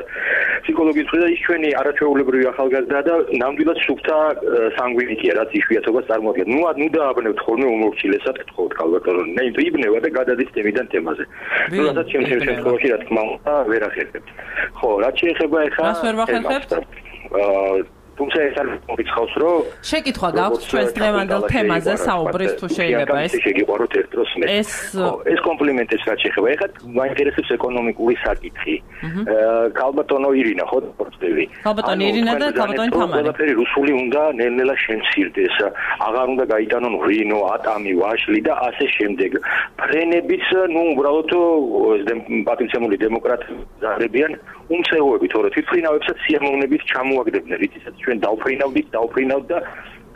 ფსიქოლოგიის მხრიდან ის ჩვენი არაჩვეულებრივი ახალგაზრდა და ნამდვილად სუფთა სანგვინიკია, რაც იშვიათობას წარმოადგენს. ნუ ნუ დააბნევთ ხოლმე უმორჩილესად გთხოვთ ალბათო, ნე იბნევა და გადადის თემიდან თემაზე. ნუ რასაც ჩემ შემთხვევაში რა თქმა უნდა ვერ ახერხებთ. ხო, რაც შეეხება ეხლა რას ვერ ვახერხებთ? თუმცა ეს არ მოგიცხავს, რომ შეკითხვა გაქვს ჩვენს დღევანდელ თემაზე საუბრის თუ შეიძლება ეს შეგიყვაროთ ერთ დროს მე. ეს ეს კომპლიმენტებს რაც შეეხება, ეხლა მაინტერესებს ეკონომიკური საკითხი. ქალბატონო ირინა, ხო პორტფელი. ქალბატონი ირინა და ქალბატონი თამარი. ყველაფერი რუსული უნდა ნელ-ნელა შემცირდეს. აღარ უნდა გაიტანონ ვრინო, ატამი, ვაშლი და ასე შემდეგ. ფრენებიც, ნუ უბრალოდ პატივცემული დემოკრატები ზარებიან უმცეოები, თორე თვითფრინავებსაც სიამოვნებით ჩამოაგდებდნენ, რითიც ჩვენ დავფრინავდით, დავფრინავთ და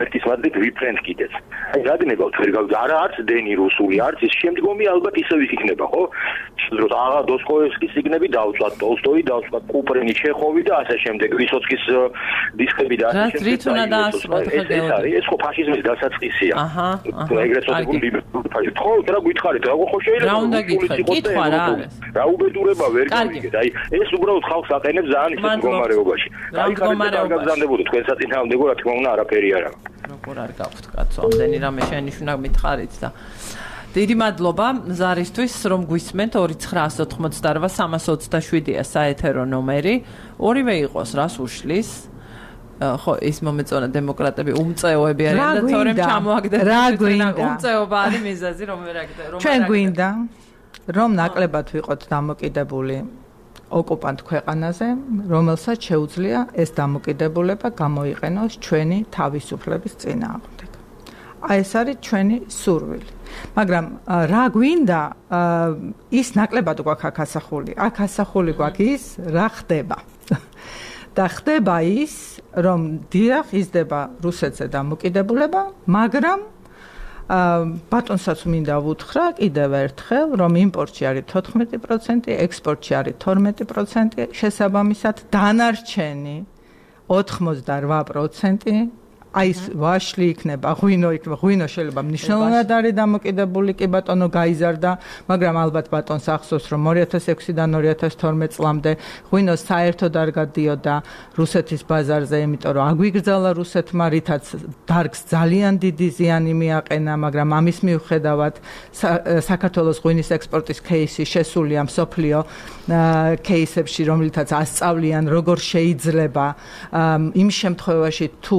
ერთის მადლით ვიფრენთ კიდეც. აი რადგანებავთ ვერ გავ არა არც დენი რუსული, არც ის შემდგომი ალბათ ისევ იქნება, ხო? რომ აღა დოსტოევსკის სიგნები დავწვათ, ტოლსტოი დავწვათ, კუპრენი, ჩეხოვი და ასე შემდეგ, ვისოცკის დისკები და ასე შემდეგ. რით უნდა დაასრულოთ ხა გეორგი? ეს ხო ფაშიზმის დასაწყისია. აჰა. ეგრეთ წოდებული ფაშიზმი. ხო, რა გითხარით, რა ხო შეიძლება? რა უნდა გითხრათ? კითხვა რა არის? რა უბედურება ვერ გავიგეთ. აი ეს უბრალოდ ხალხს აყენებს ძალიან ისეთ მდგომარეობაში. აი მდგომარეობაში გაგზავნებოდი თქვენ საწინააღმდეგო, რა თქმა უნდა, არაფერი არ აქვს. როგორ არ გაქვთ კაცო, ამდენი რამე შენიშნა მითხარით და დიდი მადლობა ზარისთვის, რომ გვისმენთ. ორი ცხრაას ოცდაოთხმოცდაარბა სამას ოცდაშვიდია საეთერო ნომერი. ორივე იყოს რას უშლის. ხო ის მომეწონა დემოკრატები უმწეოები არიან და თორემ ჩამოაგდეთ რა გვინდა უმწეობა არის მიზეზი რომ ვერ აგდეთ რომ ჩვენ გვინდა რომ ნაკლებად ვიყოთ დამოკიდებული ოკუპანტ ქვეყანაზე რომელსაც შეუძლია ეს დამოკიდებულება გამოიყენოს ჩვენი თავისუფლების წინააღმდეგ აი ეს არის ჩვენი სურვილი მაგრამ რა გვინდა ის ნაკლებად გვაქვს აქ ასახული აქ ასახული გვაქვს ის რა ხდება და ხდება ის რომ დიახ იზრდება რუსეთზე დამოკიდებულება მაგრამ ბატონსაც მინდა ვუთხრა კიდევ ერთხელ რომ იმპორტში არის თოთხმეტი პროცენტი ექსპორტში არის თორმეტი პროცენტი შესაბამისად დანარჩენი ოთხმოცდარვა პროცენტი აი ეს ვაშლი იქნება, ღვინო იქნება, ღვინო შეიძლება მნიშვნელოვნად არის დამოკიდებული კი ბატონო გაიზარდა, მაგრამ ალბათ ბატონს ახსოვს რომ ორი ათას ექვსიდან ორი ათას თორმეტ წლამდე ღვინო საერთოდ არ გადიოდა რუსეთის ბაზარზე, იმიტომ რომ აგვიგრძალა რუსეთმა, რითაც დარგს ძალიან დიდი ზიანი მიაყენა, მაგრამ ამის მიუხედავად საქართველოს ღვინის ექსპორტის кейსი შესულია მსოფლიო кейსებში, რომლითაც ასწავლიან როგორ შეიძლება იმ შემთხვევაში თუ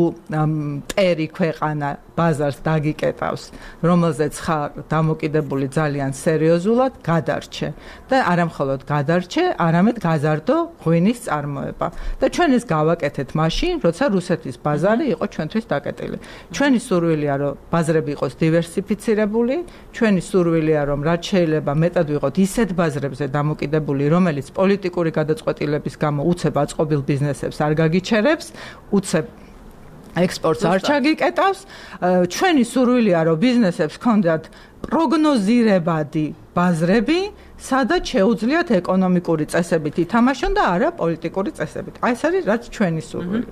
პერი ქვეყანა ბაზარს დაგიკეტავს, რომელზეც ხარ დამოკიდებული ძალიან სერიოზულად გადარჩე და არამხოლოდ გადარჩე, არამედ გაზარდო ღვინის წარმოება. და ჩვენ ეს გავაკეთეთ მაშინ, როცა რუსეთის ბაზარი იყო ჩვენთვის დაკეტილი. ჩვენი სურვილია, რომ ბაზრები იყოს დივერსიფიცირებული, ჩვენი სურვილია, რომ რაც შეიძლება მეტად ვიყოთ ისეთ ბაზრებზე დამოკიდებული, რომელიც პოლიტიკური გადაწყვეტილების გამო უცებ აწყობილ ბიზნესებს არ გაგიჩერებს, უცებ ექსპორტს არ ჩაგიკეტავს, ჩვენი სურვილია, რომ ბიზნესებს ჰქონდათ პროგნოზირებადი ბაზრები, სადაც შეუძლიათ ეკონომიკური წესებით ითამაშონ და არა პოლიტიკური წესებით. აი ეს არის რაც ჩვენი სურვილი.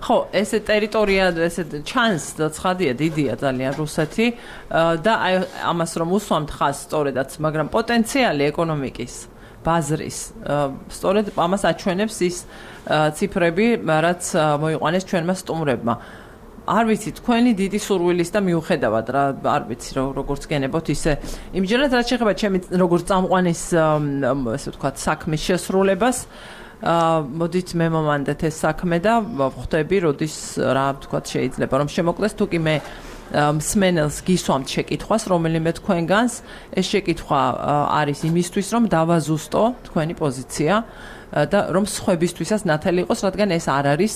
ხო, ესე ტერიტორია, ესე ჩანს და ცხადია, დიდია ძალიან რუსეთი და აი ამას რომ უსვამთ ხაზს სწორედაც, მაგრამ პოტენციალი ეკონომიკის ბაზრის სწორედ ამას აჩვენებს ის ციფრები, რაც მოიყვანეს ჩვენმა სტუმრებმა. არ ვიცი, თქვენი დიდი სურვილის და მიუხედავად რა, არ ვიცი, როგორც გენებოთ ისე. იმჯერად რაც შეეხება ჩემი როგორც წამყვანის, ესე ვთქვათ, საქმის შესრულებას, მოდით მე მომანდეთ ეს საქმე და ვხვდები, როდის რა ვთქვათ, შეიძლება რომ შემოკლეს, თუ კი მე მსმენელს გისვამთ შეკითხვას, რომელიმე თქვენგანს, ეს შეკითხვა არის იმისთვის, რომ დავაზუსტო თქვენი პოზიცია და რომ სხვებისთვისაც ნათელი იყოს, რადგან ეს არ არის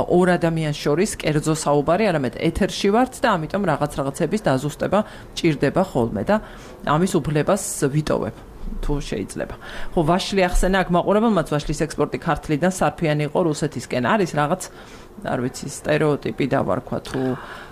ორ ადამიანს შორის კერძო საუბარი, არამედ ეთერში ვართ და ამიტომ რაღაც რაღაცების დაზუსტება ჭირდება ხოლმე და ამის უფლებას ვიტოვებ. თუ შეიძლება. ხო, ვაშლი ახსენა აქ მაყურებელმაც ვაშლის ექსპორტი ქართლიდან სარფიანი იყო რუსეთისკენ. არის რაღაც, არ ვიცი, სტერეოტიპი დავარქვა თუ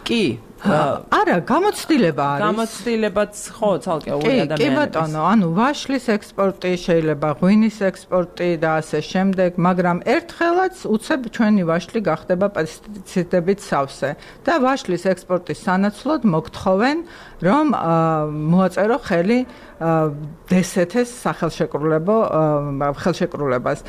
კი? არა, გამოცდილება არის. გამოცდილებაც ხო, ცალკეული ადამიანების. კი, ბატონო, ანუ ვაშლის ექსპორტი შეიძლება, ღვინის ექსპორტი და ასე შემდეგ, მაგრამ ერთხელაც უცებ ჩვენი ვაშლი გახდება პესტიციდებით სავსე და ვაშლის ექსპორტის სანაცვლოდ მოგთხოვენ, რომ მოაწერო ხელი დსთ-ს სახელშეკრულებო ხელშეკრულებას.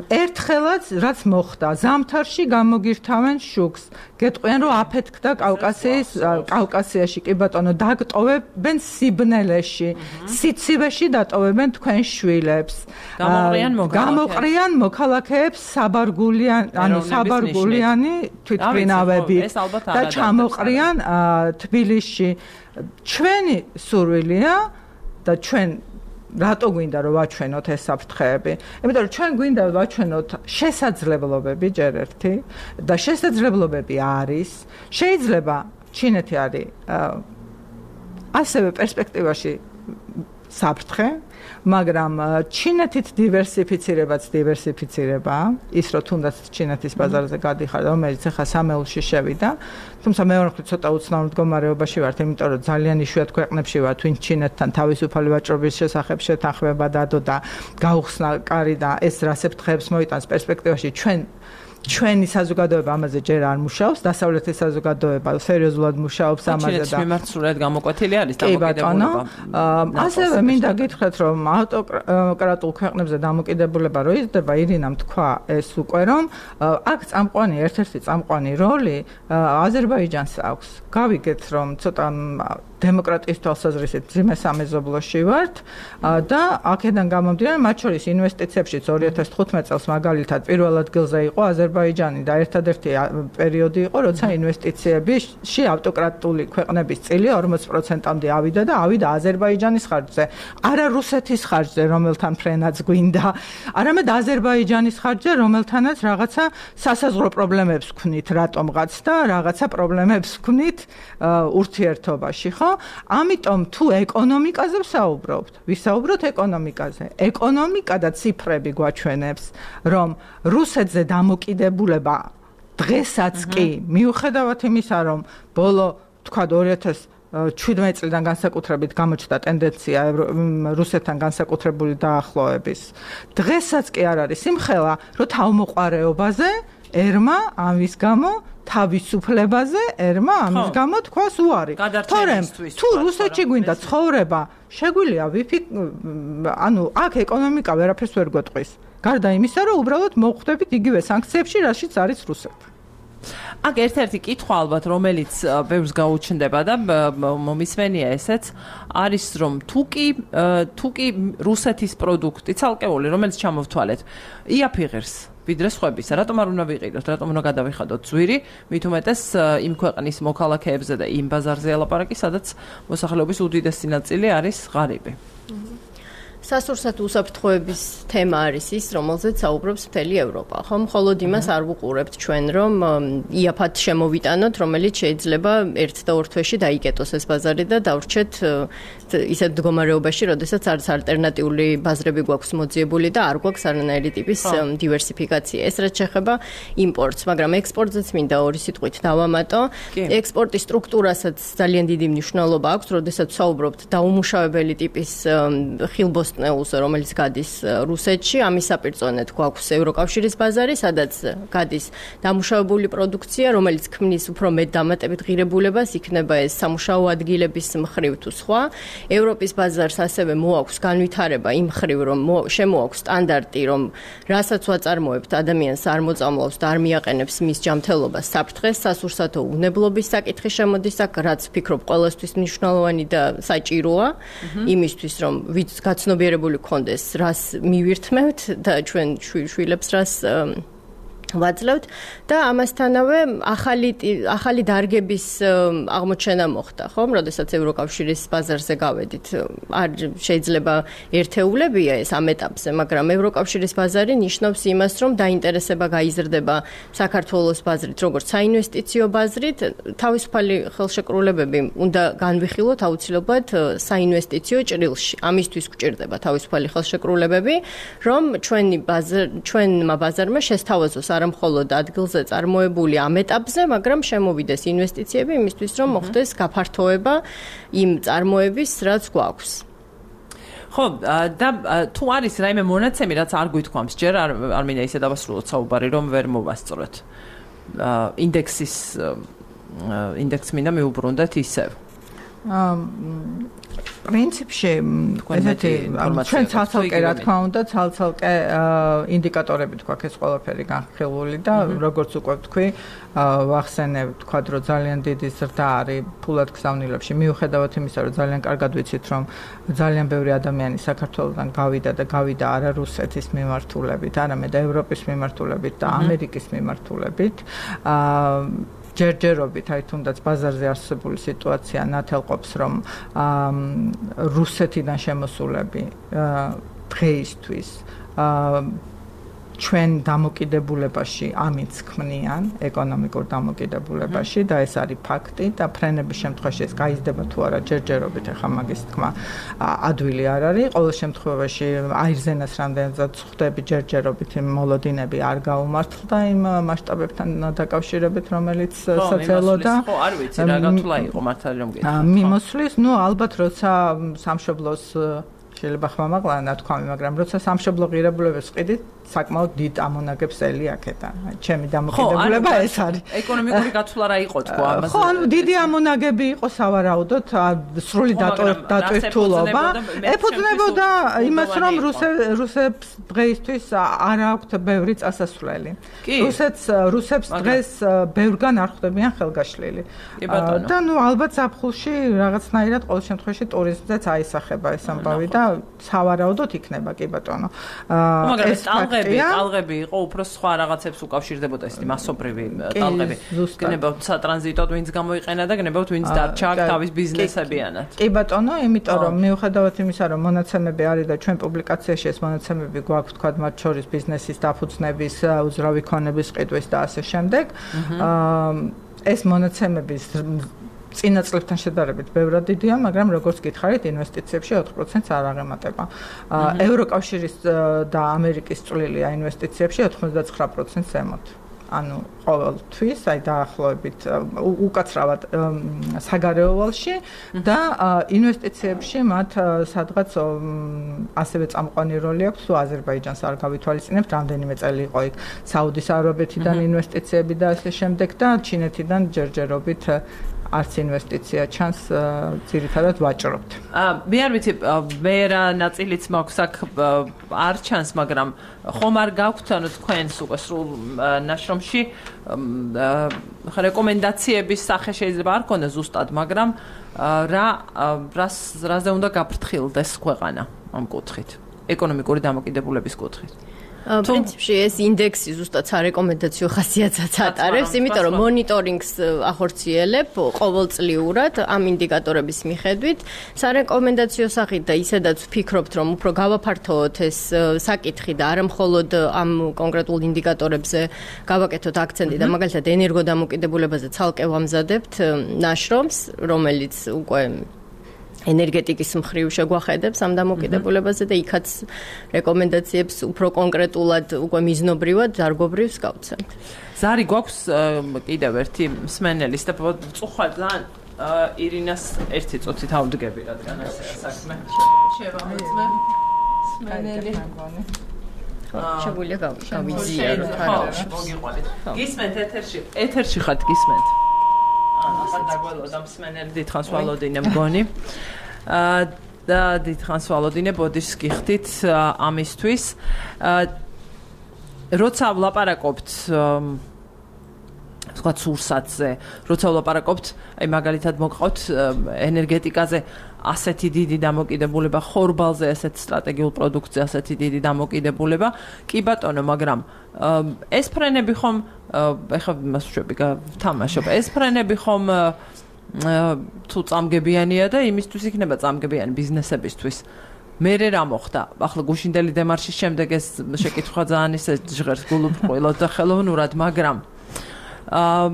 ერთხელაც რაც მოხდა, ზამთარში გამოგირთავენ შუქს. გეტყვიან, რომ აფეთქდა კავკასიის კავკასიაში კი ბატონო დაგტოვებენ სიბნელეში, სიცივეში დატოვებენ თქვენ შვილებს. გამოყრიან მოქალაქეებს. გამოყრიან მოქალაქეებს საბარგულიან, ანუ საბარგულიანი თვითმფრინავები და ჩამოყრიან თბილისში. ჩვენი სურვილია და ჩვენ რატო გვინდა რომ ვაჩვენოთ ეს საფრთხეები? იმიტომ რომ ჩვენ გვინდა ვაჩვენოთ შესაძლებლობები ჯერ ერთი და შესაძლებლობები არის. შეიძლება ჩინეთი არის ასევე პერსპექტივაში საფრთხე, მაგრამ ჩინეთით დივერსიფიცირებაც დივერსიფიცირებაა, ის რომ თუნდაც ჩინეთის ბაზარზე გადიხარ, რომელიც ახლა სამეულში შევიდა, თუმცა მეორე მხრივ ცოტა უცნაურ მდგომარეობაში ვართ, იმიტომ რომ ძალიან იშვიათ ქვეყნებში ვართ, ვინც ჩინეთთან თავისუფალი ვაჭრობის შესახებ შეთანხმება დადო და გაუხსნა კარი და ეს რა საფრთხეებს მოიტანს პერსპექტივაში ჩვენ ჩვენი საზოგადოება ამაზე ჯერ არ მუშაობს, დასავლეთის საზოგადოება სერიოზულად მუშაობს ამაზე და ჩინეთის მიმართულად გამოკვეთილი არის დამოკიდებულება. ასევე მინდა გითხრათ, რომ ავტოკრატულ ქვეყნებზე დამოკიდებულება რო იზრდება, ირინამ თქვა ეს უკვე რომ აქ წამყვანი ერთ-ერთი წამყვანი როლი აზერბაიჯანს აქვს. გავიგეთ რომ ცოტა დემოკრატიის თვალსაზრისით ძიმე სამეზობლოში ვართ და აქედან გამომდინარე მათ შორის ინვესტიციებშიც ორი ათას თხუთმეტ წელს მაგალითად პირველ ადგილზე იყო აზერბაიჯანი და ერთადერთი პერიოდი იყო როცა ინვესტიციებში ავტოკრატული ქვეყნების წილი ორმოცი პროცენტამდე ავიდა და ავიდა აზერბაიჯანის ხარჯზე არა რუსეთის ხარჯზე რომელთან ფრენაც გვინდა არამედ აზერბაიჯანის ხარჯზე რომელთანაც რაღაცა სასაზღვრო პრობლემებს ვქნით რატომღაც და რაღაცა პრობლემებს ვქნით ურთიერთობაში ხო ამიტომ თუ ეკონომიკაზე ვსაუბრობთ ვისაუბროთ ეკონომიკაზე ეკონომიკა და ციფრები გვაჩვენებს რომ რუსეთზე დამოკიდებულება დღესაც კი მიუხედავად იმისა რომ ბოლო თქვა ორი ათას შვიდმეტი წლიდან განსაკუთრებით გამოჩნდა ტენდენცია რუსეთთან განსაკუთრებული დაახლოების დღესაც კი არ არის სიმხელა რომ თავმოყარეობაზე ერმა ამის გამო თავისუფლებაზე ერმა ამის გამო თქვას უარი თორემ თუ რუსეთში გვინდა ცხოვრება შეგვიძლია ვიფიქ ანუ აქ ეკონომიკა ვერაფერს ვერ გვეტყვის გარდა იმისა რომ უბრალოდ მოხვდებით იგივე სანქციებში რაშიც არის რუსეთი აქ ერთ-ერთი კითხვა ალბათ რომელიც ბევრს გაუჩნდება და მომისმენია ესეც არის რომ თუკი თუკი რუსეთის პროდუქტი ცალკეული რომელიც ჩამოვთვალეთ იაფიღებს ვიდრე სხვებისა რატომ არ უნდა ვიყიდოთ რატომ უნდა გადავიხადოთ ძვირი მით უმეტეს იმ ქვეყნის მოქალაქეებზე და იმ ბაზარზე ელაპარაკი სადაც მოსახლეობის უდიდესი ნაწილი არის ღარიბი სასურსათ უსაფრთხოების თემა არის ის, რომელზეც საუბრობს მთელი ევროპა. ხო, მხოლოდ იმას არ ვუყურებთ ჩვენ, რომ იაფად შემოვიტანოთ, რომელიც შეიძლება ერთ და ორ თვეში დაიკეტოს ეს ბაზარი და დავრჩეთ ისეთ მდგომარეობაში, როდესაც არც ალტერნატიული ბაზრები გვაქვს მოძიებული და არ გვაქვს არანაირი ტიპის დივერსიფიკაცია. ეს რაც შეეხება იმპორტს, მაგრამ ექსპორტზეც მინდა ორი სიტყვით დავამატო. ექსპორტის სტრუქტურასაც ძალიან დიდი მნიშვნელობა აქვს, როდესაც საუბრობთ დაუმუშავებელი ტიპის ხილბოსტნეულზე, რომელიც გადის რუსეთში, ამის საპირწონედ გვაქვს ევროკავშირის ბაზარი, სადაც გადის დამუშავებული პროდუქცია, რომელიც ქმნის უფრო მეტ დამატებით ღირებულებას, იქნება ეს სამუშაო ადგილების მხრივ თუ სხვა. ევროპის ბაზარს ასევე მოაქვს განვითარება იმ მხრივ, რომ შემოაქვს სტანდარტი, რომ რასაც ვაწარმოებთ, ადამიანს არ მოწამლავს და არ მიაყენებს მის ჯანმრთელობას საფრთხეს, სასურსათო უნებლობის საკითხი შემოდის აქ, რაც ვფიქრობ ყველასთვის მნიშვნელოვანი და საჭიროა, იმისთვის, რომ ვიც გაცნობიერებული გქონდეს, რას მივირთმევთ და ჩვენ შვილებს რას ვაძლევთ და ამასთანავე ახალი ახალი დარგების აღმოჩენა მოხდა, ხო? როდესაც ევროკავშირის ბაზარზე გავედით, არ შეიძლება ერთეულებია ეს ამ ეტაპზე, მაგრამ ევროკავშირის ბაზარი ნიშნავს იმას, რომ დაინტერესება გაიზრდება საქართველოს ბაზრით, როგორც საინვესტიციო ბაზრით, თავისუფალი ხელშეკრულებები უნდა განვიხილოთ აუცილებლად საინვესტიციო ჭრილში. ამისთვის გვჭირდება თავისუფალი ხელშეკრულებები, რომ ჩვენი ბაზარ ჩვენმა ბაზარმა შესთავაზოს არა მხოლოდ ადგილზე წარმოებული ამ ეტაპზე, მაგრამ შემოვიდეს ინვესტიციები იმისთვის, რომ მოხდეს გაფართოება იმ წარმოების, რაც გვაქვს. ხო, და თუ არის რაიმე მონაცემი, რაც არ გვითქვამს, ჯერ არ არ მინდა ისე დავასრულოთ საუბარი, რომ ვერ მოვასწროთ. ინდექსის ინდექს მინდა მიუბრუნდეთ ისევ. პრინციპში ესეთი ჩვენ ცალ-ცალკე რა თქმა უნდა ცალ-ცალკე ინდიკატორები თქვა ეს ყველაფერი განხილული და როგორც უკვე ვთქვი ვახსენებ თქვა რომ ძალიან დიდი ზრდა არის ფულად გზავნილებში მიუხედავად იმისა რომ ძალიან კარგად ვიცით რომ ძალიან ბევრი ადამიანი საქართველოსთან გავიდა და გავიდა არა რუსეთის მიმართულებით არამედ ევროპის მიმართულებით და ამერიკის მიმართულებით ჯერჯერობით აი თუნდაც ბაზარზე არსებული სიტუაცია ნათელყოფს რომ რუსეთიდან შემოსულები დღეისთვის ჩვენ დამოკიდებულებაში ამიც ქმნიან ეკონომიკურ დამოკიდებულებაში და ეს არის ფაქტი და ფრენების შემთხვევაში ეს გაიზრდება თუ არა ჯერჯერობით ახლა მაგის თქმა ადვილი არ არის ყოველ შემთხვევაში აირზენას რამდენადაც ხვდები ჯერჯერობით მოლოდინები არ გაუმართლდა იმ მასშტაბებთან დაკავშირებით რომელიც სოციალო და ხო არ ვიცი რა გათვლა იყო მართალი რომ გეტყვი მიმოსვლის ნუ ალბათ როცა სამშობლოს შეიძლება ხმამაღლა ნათქვამი მაგრამ როცა სამშობლო ღირებულებას ყიდით საკმაოდ დიდ ამონაგებს ელი აქედან. ჩემი დამოკიდებულება ეს არის. ეკონომიკური გაცვლა რა იყო თქვა ამაზე? ხო, ანუ დიდი ამონაგები იყო სავარაუდოდ, სრული დატვირთულობა. ეფუძნებოდა იმას, რომ რუსებს დღეისთვის არ აქვთ ბევრი წასასვლელი. რუსეთს რუსებს დღეს ბევრგან არ ხვდებიან ხელგაშლილი. და ნუ ალბათ ზაფხულში რაღაცნაირად ყოველ შემთხვევაში ტურიზმზეც აისახება ეს ამბავი და სავარაუდოდ იქნება კი ბატონო. ეს ტალღები, ტალღები იყო უფრო სხვა რაღაცებს უკავშირდებოდა ესეთი მასობრივი ტალღები. გნებავთ სატრანზიტოდ ვინც გამოიყენა და გნებავთ ვინც დარჩა თავის ბიზნესებიანად. კი ბატონო, იმიტომ რომ მიუხედავად იმისა, რომ მონაცემები არის და ჩვენ პუბლიკაციაში ეს მონაცემები გვაქვს თქვა მათ შორის ბიზნესის დაფუძნების, უძრავი ქონების ყიდვის და ასე შემდეგ. ეს მონაცემების წინა წლებთან შედარებით ბევრად დიდია, მაგრამ როგორც გითხარით, ინვესტიციებში ოთხ პროცენტს არ აღემატება. ევროკავშირის და ამერიკის წვლილია ინვესტიციებში ოთხმოცდაცხრა პროცენტს ემოთ. ანუ ყოველთვის, აი დაახლოებით უკაცრავად საგარეო ვალში და ინვესტიციებში მათ სადღაც ასევე წამყვანი როლი აქვს, თუ აზერბაიჯანს არ გავითვალისწინებთ, რამდენიმე წელი იყო იქ საუდის არაბეთიდან ინვესტიციები და ასე შემდეგ და ჩინეთიდან ჯერჯერობით არც ინვესტიცია ჩანს ძირითადად ვაჭრობთ. მე არ ვიცი, მე რა ნაწილიც მაქვს აქ არ ჩანს, მაგრამ ხომ არ გაქვთ ანუ თქვენს უკვე სრულ ნაშრომში რეკომენდაციების სახე შეიძლება არ ქონდეს ზუსტად, მაგრამ რა რას რაზე უნდა გაფრთხილდეს ქვეყანა ამ კუთხით, ეკონომიკური დამოკიდებულების კუთხით. პრინციპში ეს ინდექსი ზუსტად სარეკომენდაციო ხასიათსაც ატარებს, იმიტომ რომ მონიტორინგს ახორციელებ ყოველწლიურად ამ ინდიკატორების მიხედვით. სარეკომენდაციო სახით და ისედაც ვფიქრობთ, რომ უფრო გავაფართოვოთ ეს საკითხი და არა მხოლოდ ამ კონკრეტულ ინდიკატორებზე გავაკეთოთ აქცენტი და მაგალითად ენერგოდამოკიდებულებაზე ცალკე ვამზადებთ ნაშრომს, რომელიც უკვე ენერგეტიკის მხრივ შეგვახედებს ამ დამოკიდებულებაზე და იქაც რეკომენდაციებს უფრო კონკრეტულად უკვე მიზნობრივად დარგობრივს გავცემთ. ზარი გვაქვს კიდევ ერთი მსმენელის და წუხვალ ძალიან ირინას ერთი წუთით ავდგები, რადგან ასეა საქმე. შევამოწმე მსმენელი. შეგვიძლია გავიზიაროთ არა. მოგიყვანეთ. გისმენთ ეთერში, ეთერში ხართ გისმენთ. ახლა დაგველოდა მსმენელი დიდხანს ვალოდინე მგონი. აა და დიდხანს ვალოდინე ბოდიშს გიხდით ამისთვის. აა როცა ვლაპარაკობთ თქვა სურსათზე, როცა ვლაპარაკობთ, აი მაგალითად მოგყავთ ენერგეტიკაზე ასეთი დიდი დამოკიდებულება, ხორბალზე ასეთ სტრატეგიულ პროდუქტზე ასეთი დიდი დამოკიდებულება. კი ბატონო, მაგრამ ეს ფრენები ხომ ეხლა მას ვშვები ვთამაშობ. ეს ფრენები ხომ თუ წამგებიანია და იმისთვის იქნება წამგებიანი ბიზნესებისთვის. მე რა მოხდა? ახლა გუშინდელი დემარშის შემდეგ ეს შეკითხვა ძალიან ისე ჟღერს გულუბრყვილოდ და ხელოვნურად, მაგრამ აა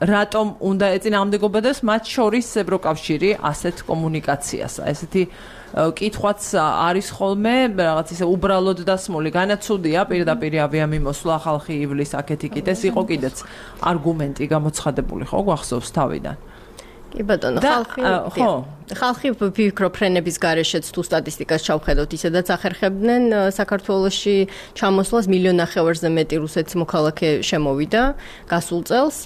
რატომ უნდა ეწინააღმდეგობოდეს მათ შორის ევროკავშირი ასეთ კომუნიკაციას? ესეთი კითხვაც არის ხოლმე, რაღაც ისე უბრალოდ დასმული, განაცუდია პირდაპირ ავიამიმოსვლა, ხალხი ივლის აქეთ იქით, ეს იყო კიდეც არგუმენტი გამოცხადებული ხო გვახსოვს თავიდან? კი ბატონო, ხალხი ხო ხალხი ვფიქრობ ფრენების გარეშეც თუ სტატისტიკას ჩავხედოთ, ისედაც ახერხებდნენ საქართველოში ჩამოსვლას მილიონ ნახევარზე მეტი რუსეთის მოქალაქე შემოვიდა გასულ წელს,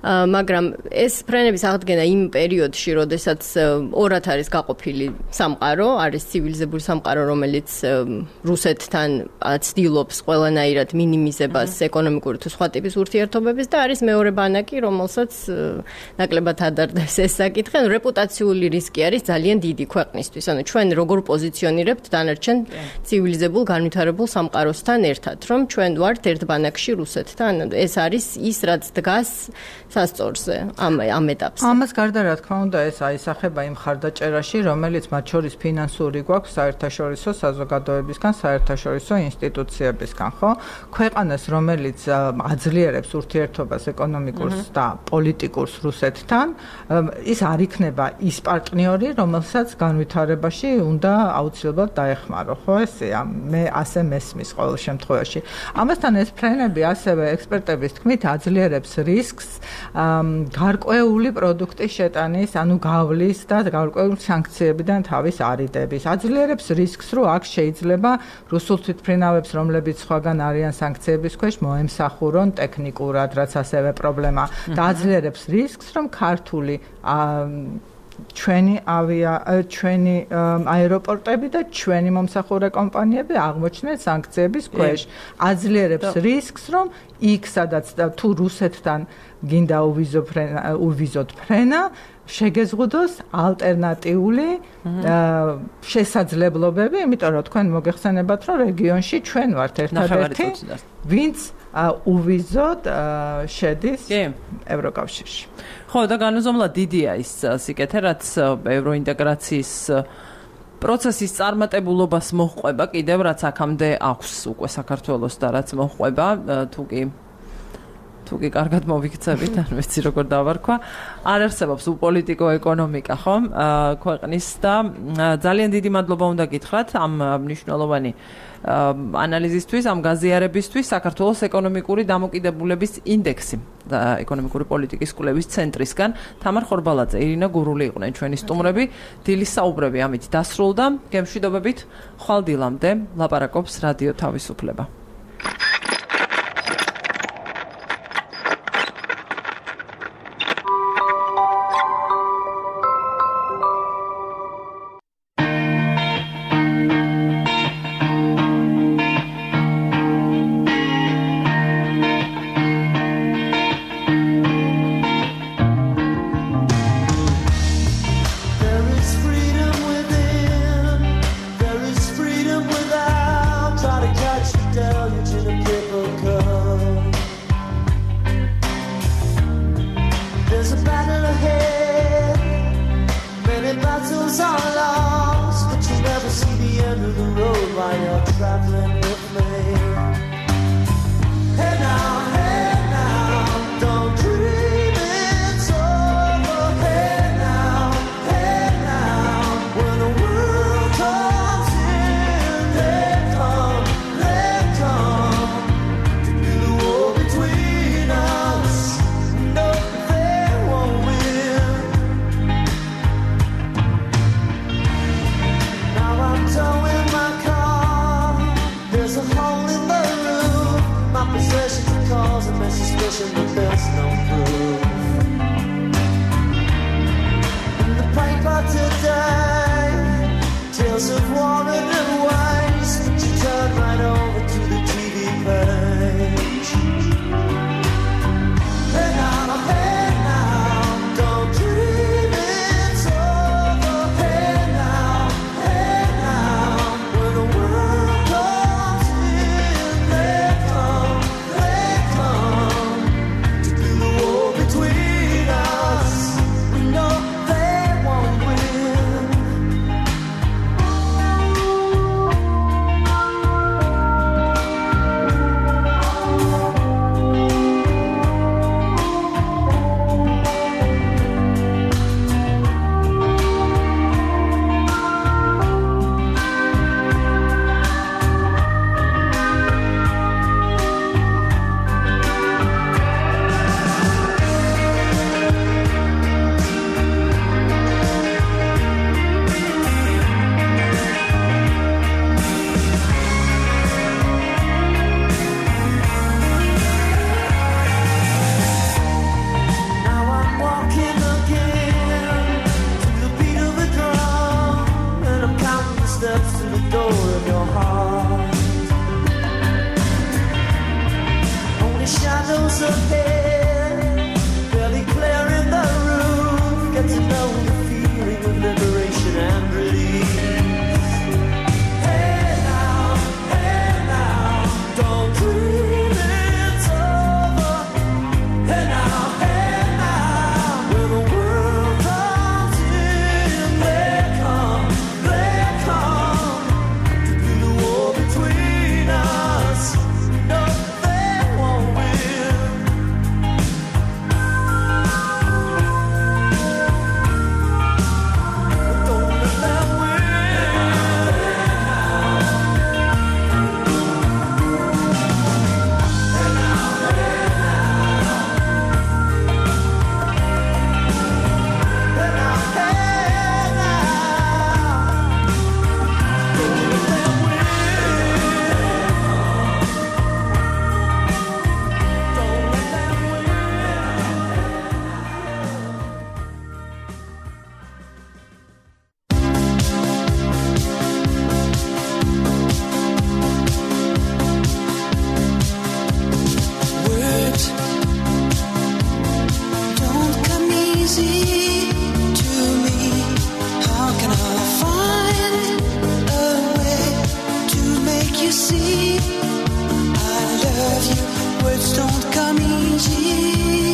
მაგრამ ეს ფრენების აღდგენა იმ პერიოდში, როდესაც ორად არის გაყოფილი სამყარო, არის ცივილიზებული სამყარო, რომელიც რუსეთთან ცდილობს ყველანაირად მინიმიზებას ეკონომიკური თუ სხვა ტიპის ურთიერთობების და არის მეორე ბანაკი, რომელსაც ნაკლებად ადარდებს ეს საკითხი, რეპუტაციული რისკი არის ძალიან დიდი ქვეყნისთვის. ანუ ჩვენ როგორ პოზიციონირებთ დანარჩენ ცივილიზებულ განვითარებულ სამყაროსთან ერთად, რომ ჩვენ ვართ ერთ ბანაკში რუსეთთან. ეს არის ის, რაც დგას სასწორზე ამ ამ ეტაპზე. ამას გარდა რა თქმა უნდა ეს აისახება იმ ხარდაჭერაში, რომელიც მათ შორის ფინანსური გვაქვს საერთაშორისო საზოგადოებისგან, საერთაშორისო ინსტიტუციებისგან, ხო? ქვეყანას, რომელიც აძლიერებს ურთიერთობას ეკონომიკურს და პოლიტიკურს რუსეთთან, ის არ იქნება ის პარტნიორი, ქართული, რომელსაც განვითარებაში უნდა აუცილებლად დაეხმარო, ხო ესეა? მე ასე მესმის ყოველ შემთხვევაში. ამასთან ეს ფრენები ასევე ექსპერტების თქმით აძლიერებს რისკს გარკვეული პროდუქტის შეტანის, ანუ გავლის და გარკვეული სანქციებიდან თავის არიდების. აძლიერებს რისკს, რომ აქ შეიძლება რუსულ თვითმფრინავებს, რომლებიც სხვაგან არიან სანქციების ქვეშ, მოემსახურონ ტექნიკურად, რაც ასევე პრობლემა. და აძლიერებს რისკს, რომ ქართული ჩვენი ავია ჩვენი აეროპორტები და ჩვენი მომსახურე კომპანიები აღმოჩნდნენ სანქციების ქვეშ. აძლიერებს რისკს, რომ იქ სადაც თუ რუსეთთან გინდა უვიზო ფრენა უვიზოთ ფრენა შეგეზღუდოს ალტერნატიული შესაძლებლობები, იმიტომ რომ თქვენ მოგეხსენებათ, რომ რეგიონში ჩვენ ვართ ერთადერთი, ვინც უვიზოდ შედის ევროკავშირში. ხო, და განუზომლად დიდია ის სიკეთე, რაც ევროინტეგრაციის პროცესის წარმატებულობას მოჰყვება, კიდევ რაც აქამდე აქვს უკვე საქართველოს და რაც მოჰყვება, თუ კი თუ კი კარგად მოვიქცებით, არ ვიცი როგორ დავარქვა, არ არსებობს უპოლიტიკო ეკონომიკა, ხო? ქვეყნის და ძალიან დიდი მადლობა უნდა გითხრათ ამ მნიშვნელოვანი ანალიზისთვის, ამ გაზიარებისთვის. საქართველოს ეკონომიკური დამოკიდებულების ინდექსი და ეკონომიკური პოლიტიკის კვლევის ცენტრისგან თამარ ხორბალაძე, ირინა გურული იყვნენ ჩვენი სტუმრები. დილის საუბრები ამით დასრულდა. გემშვიდობებით, ხვალ დილამდე ლაპარაკობს რადიო თავისუფლება. see I love you words don't come easy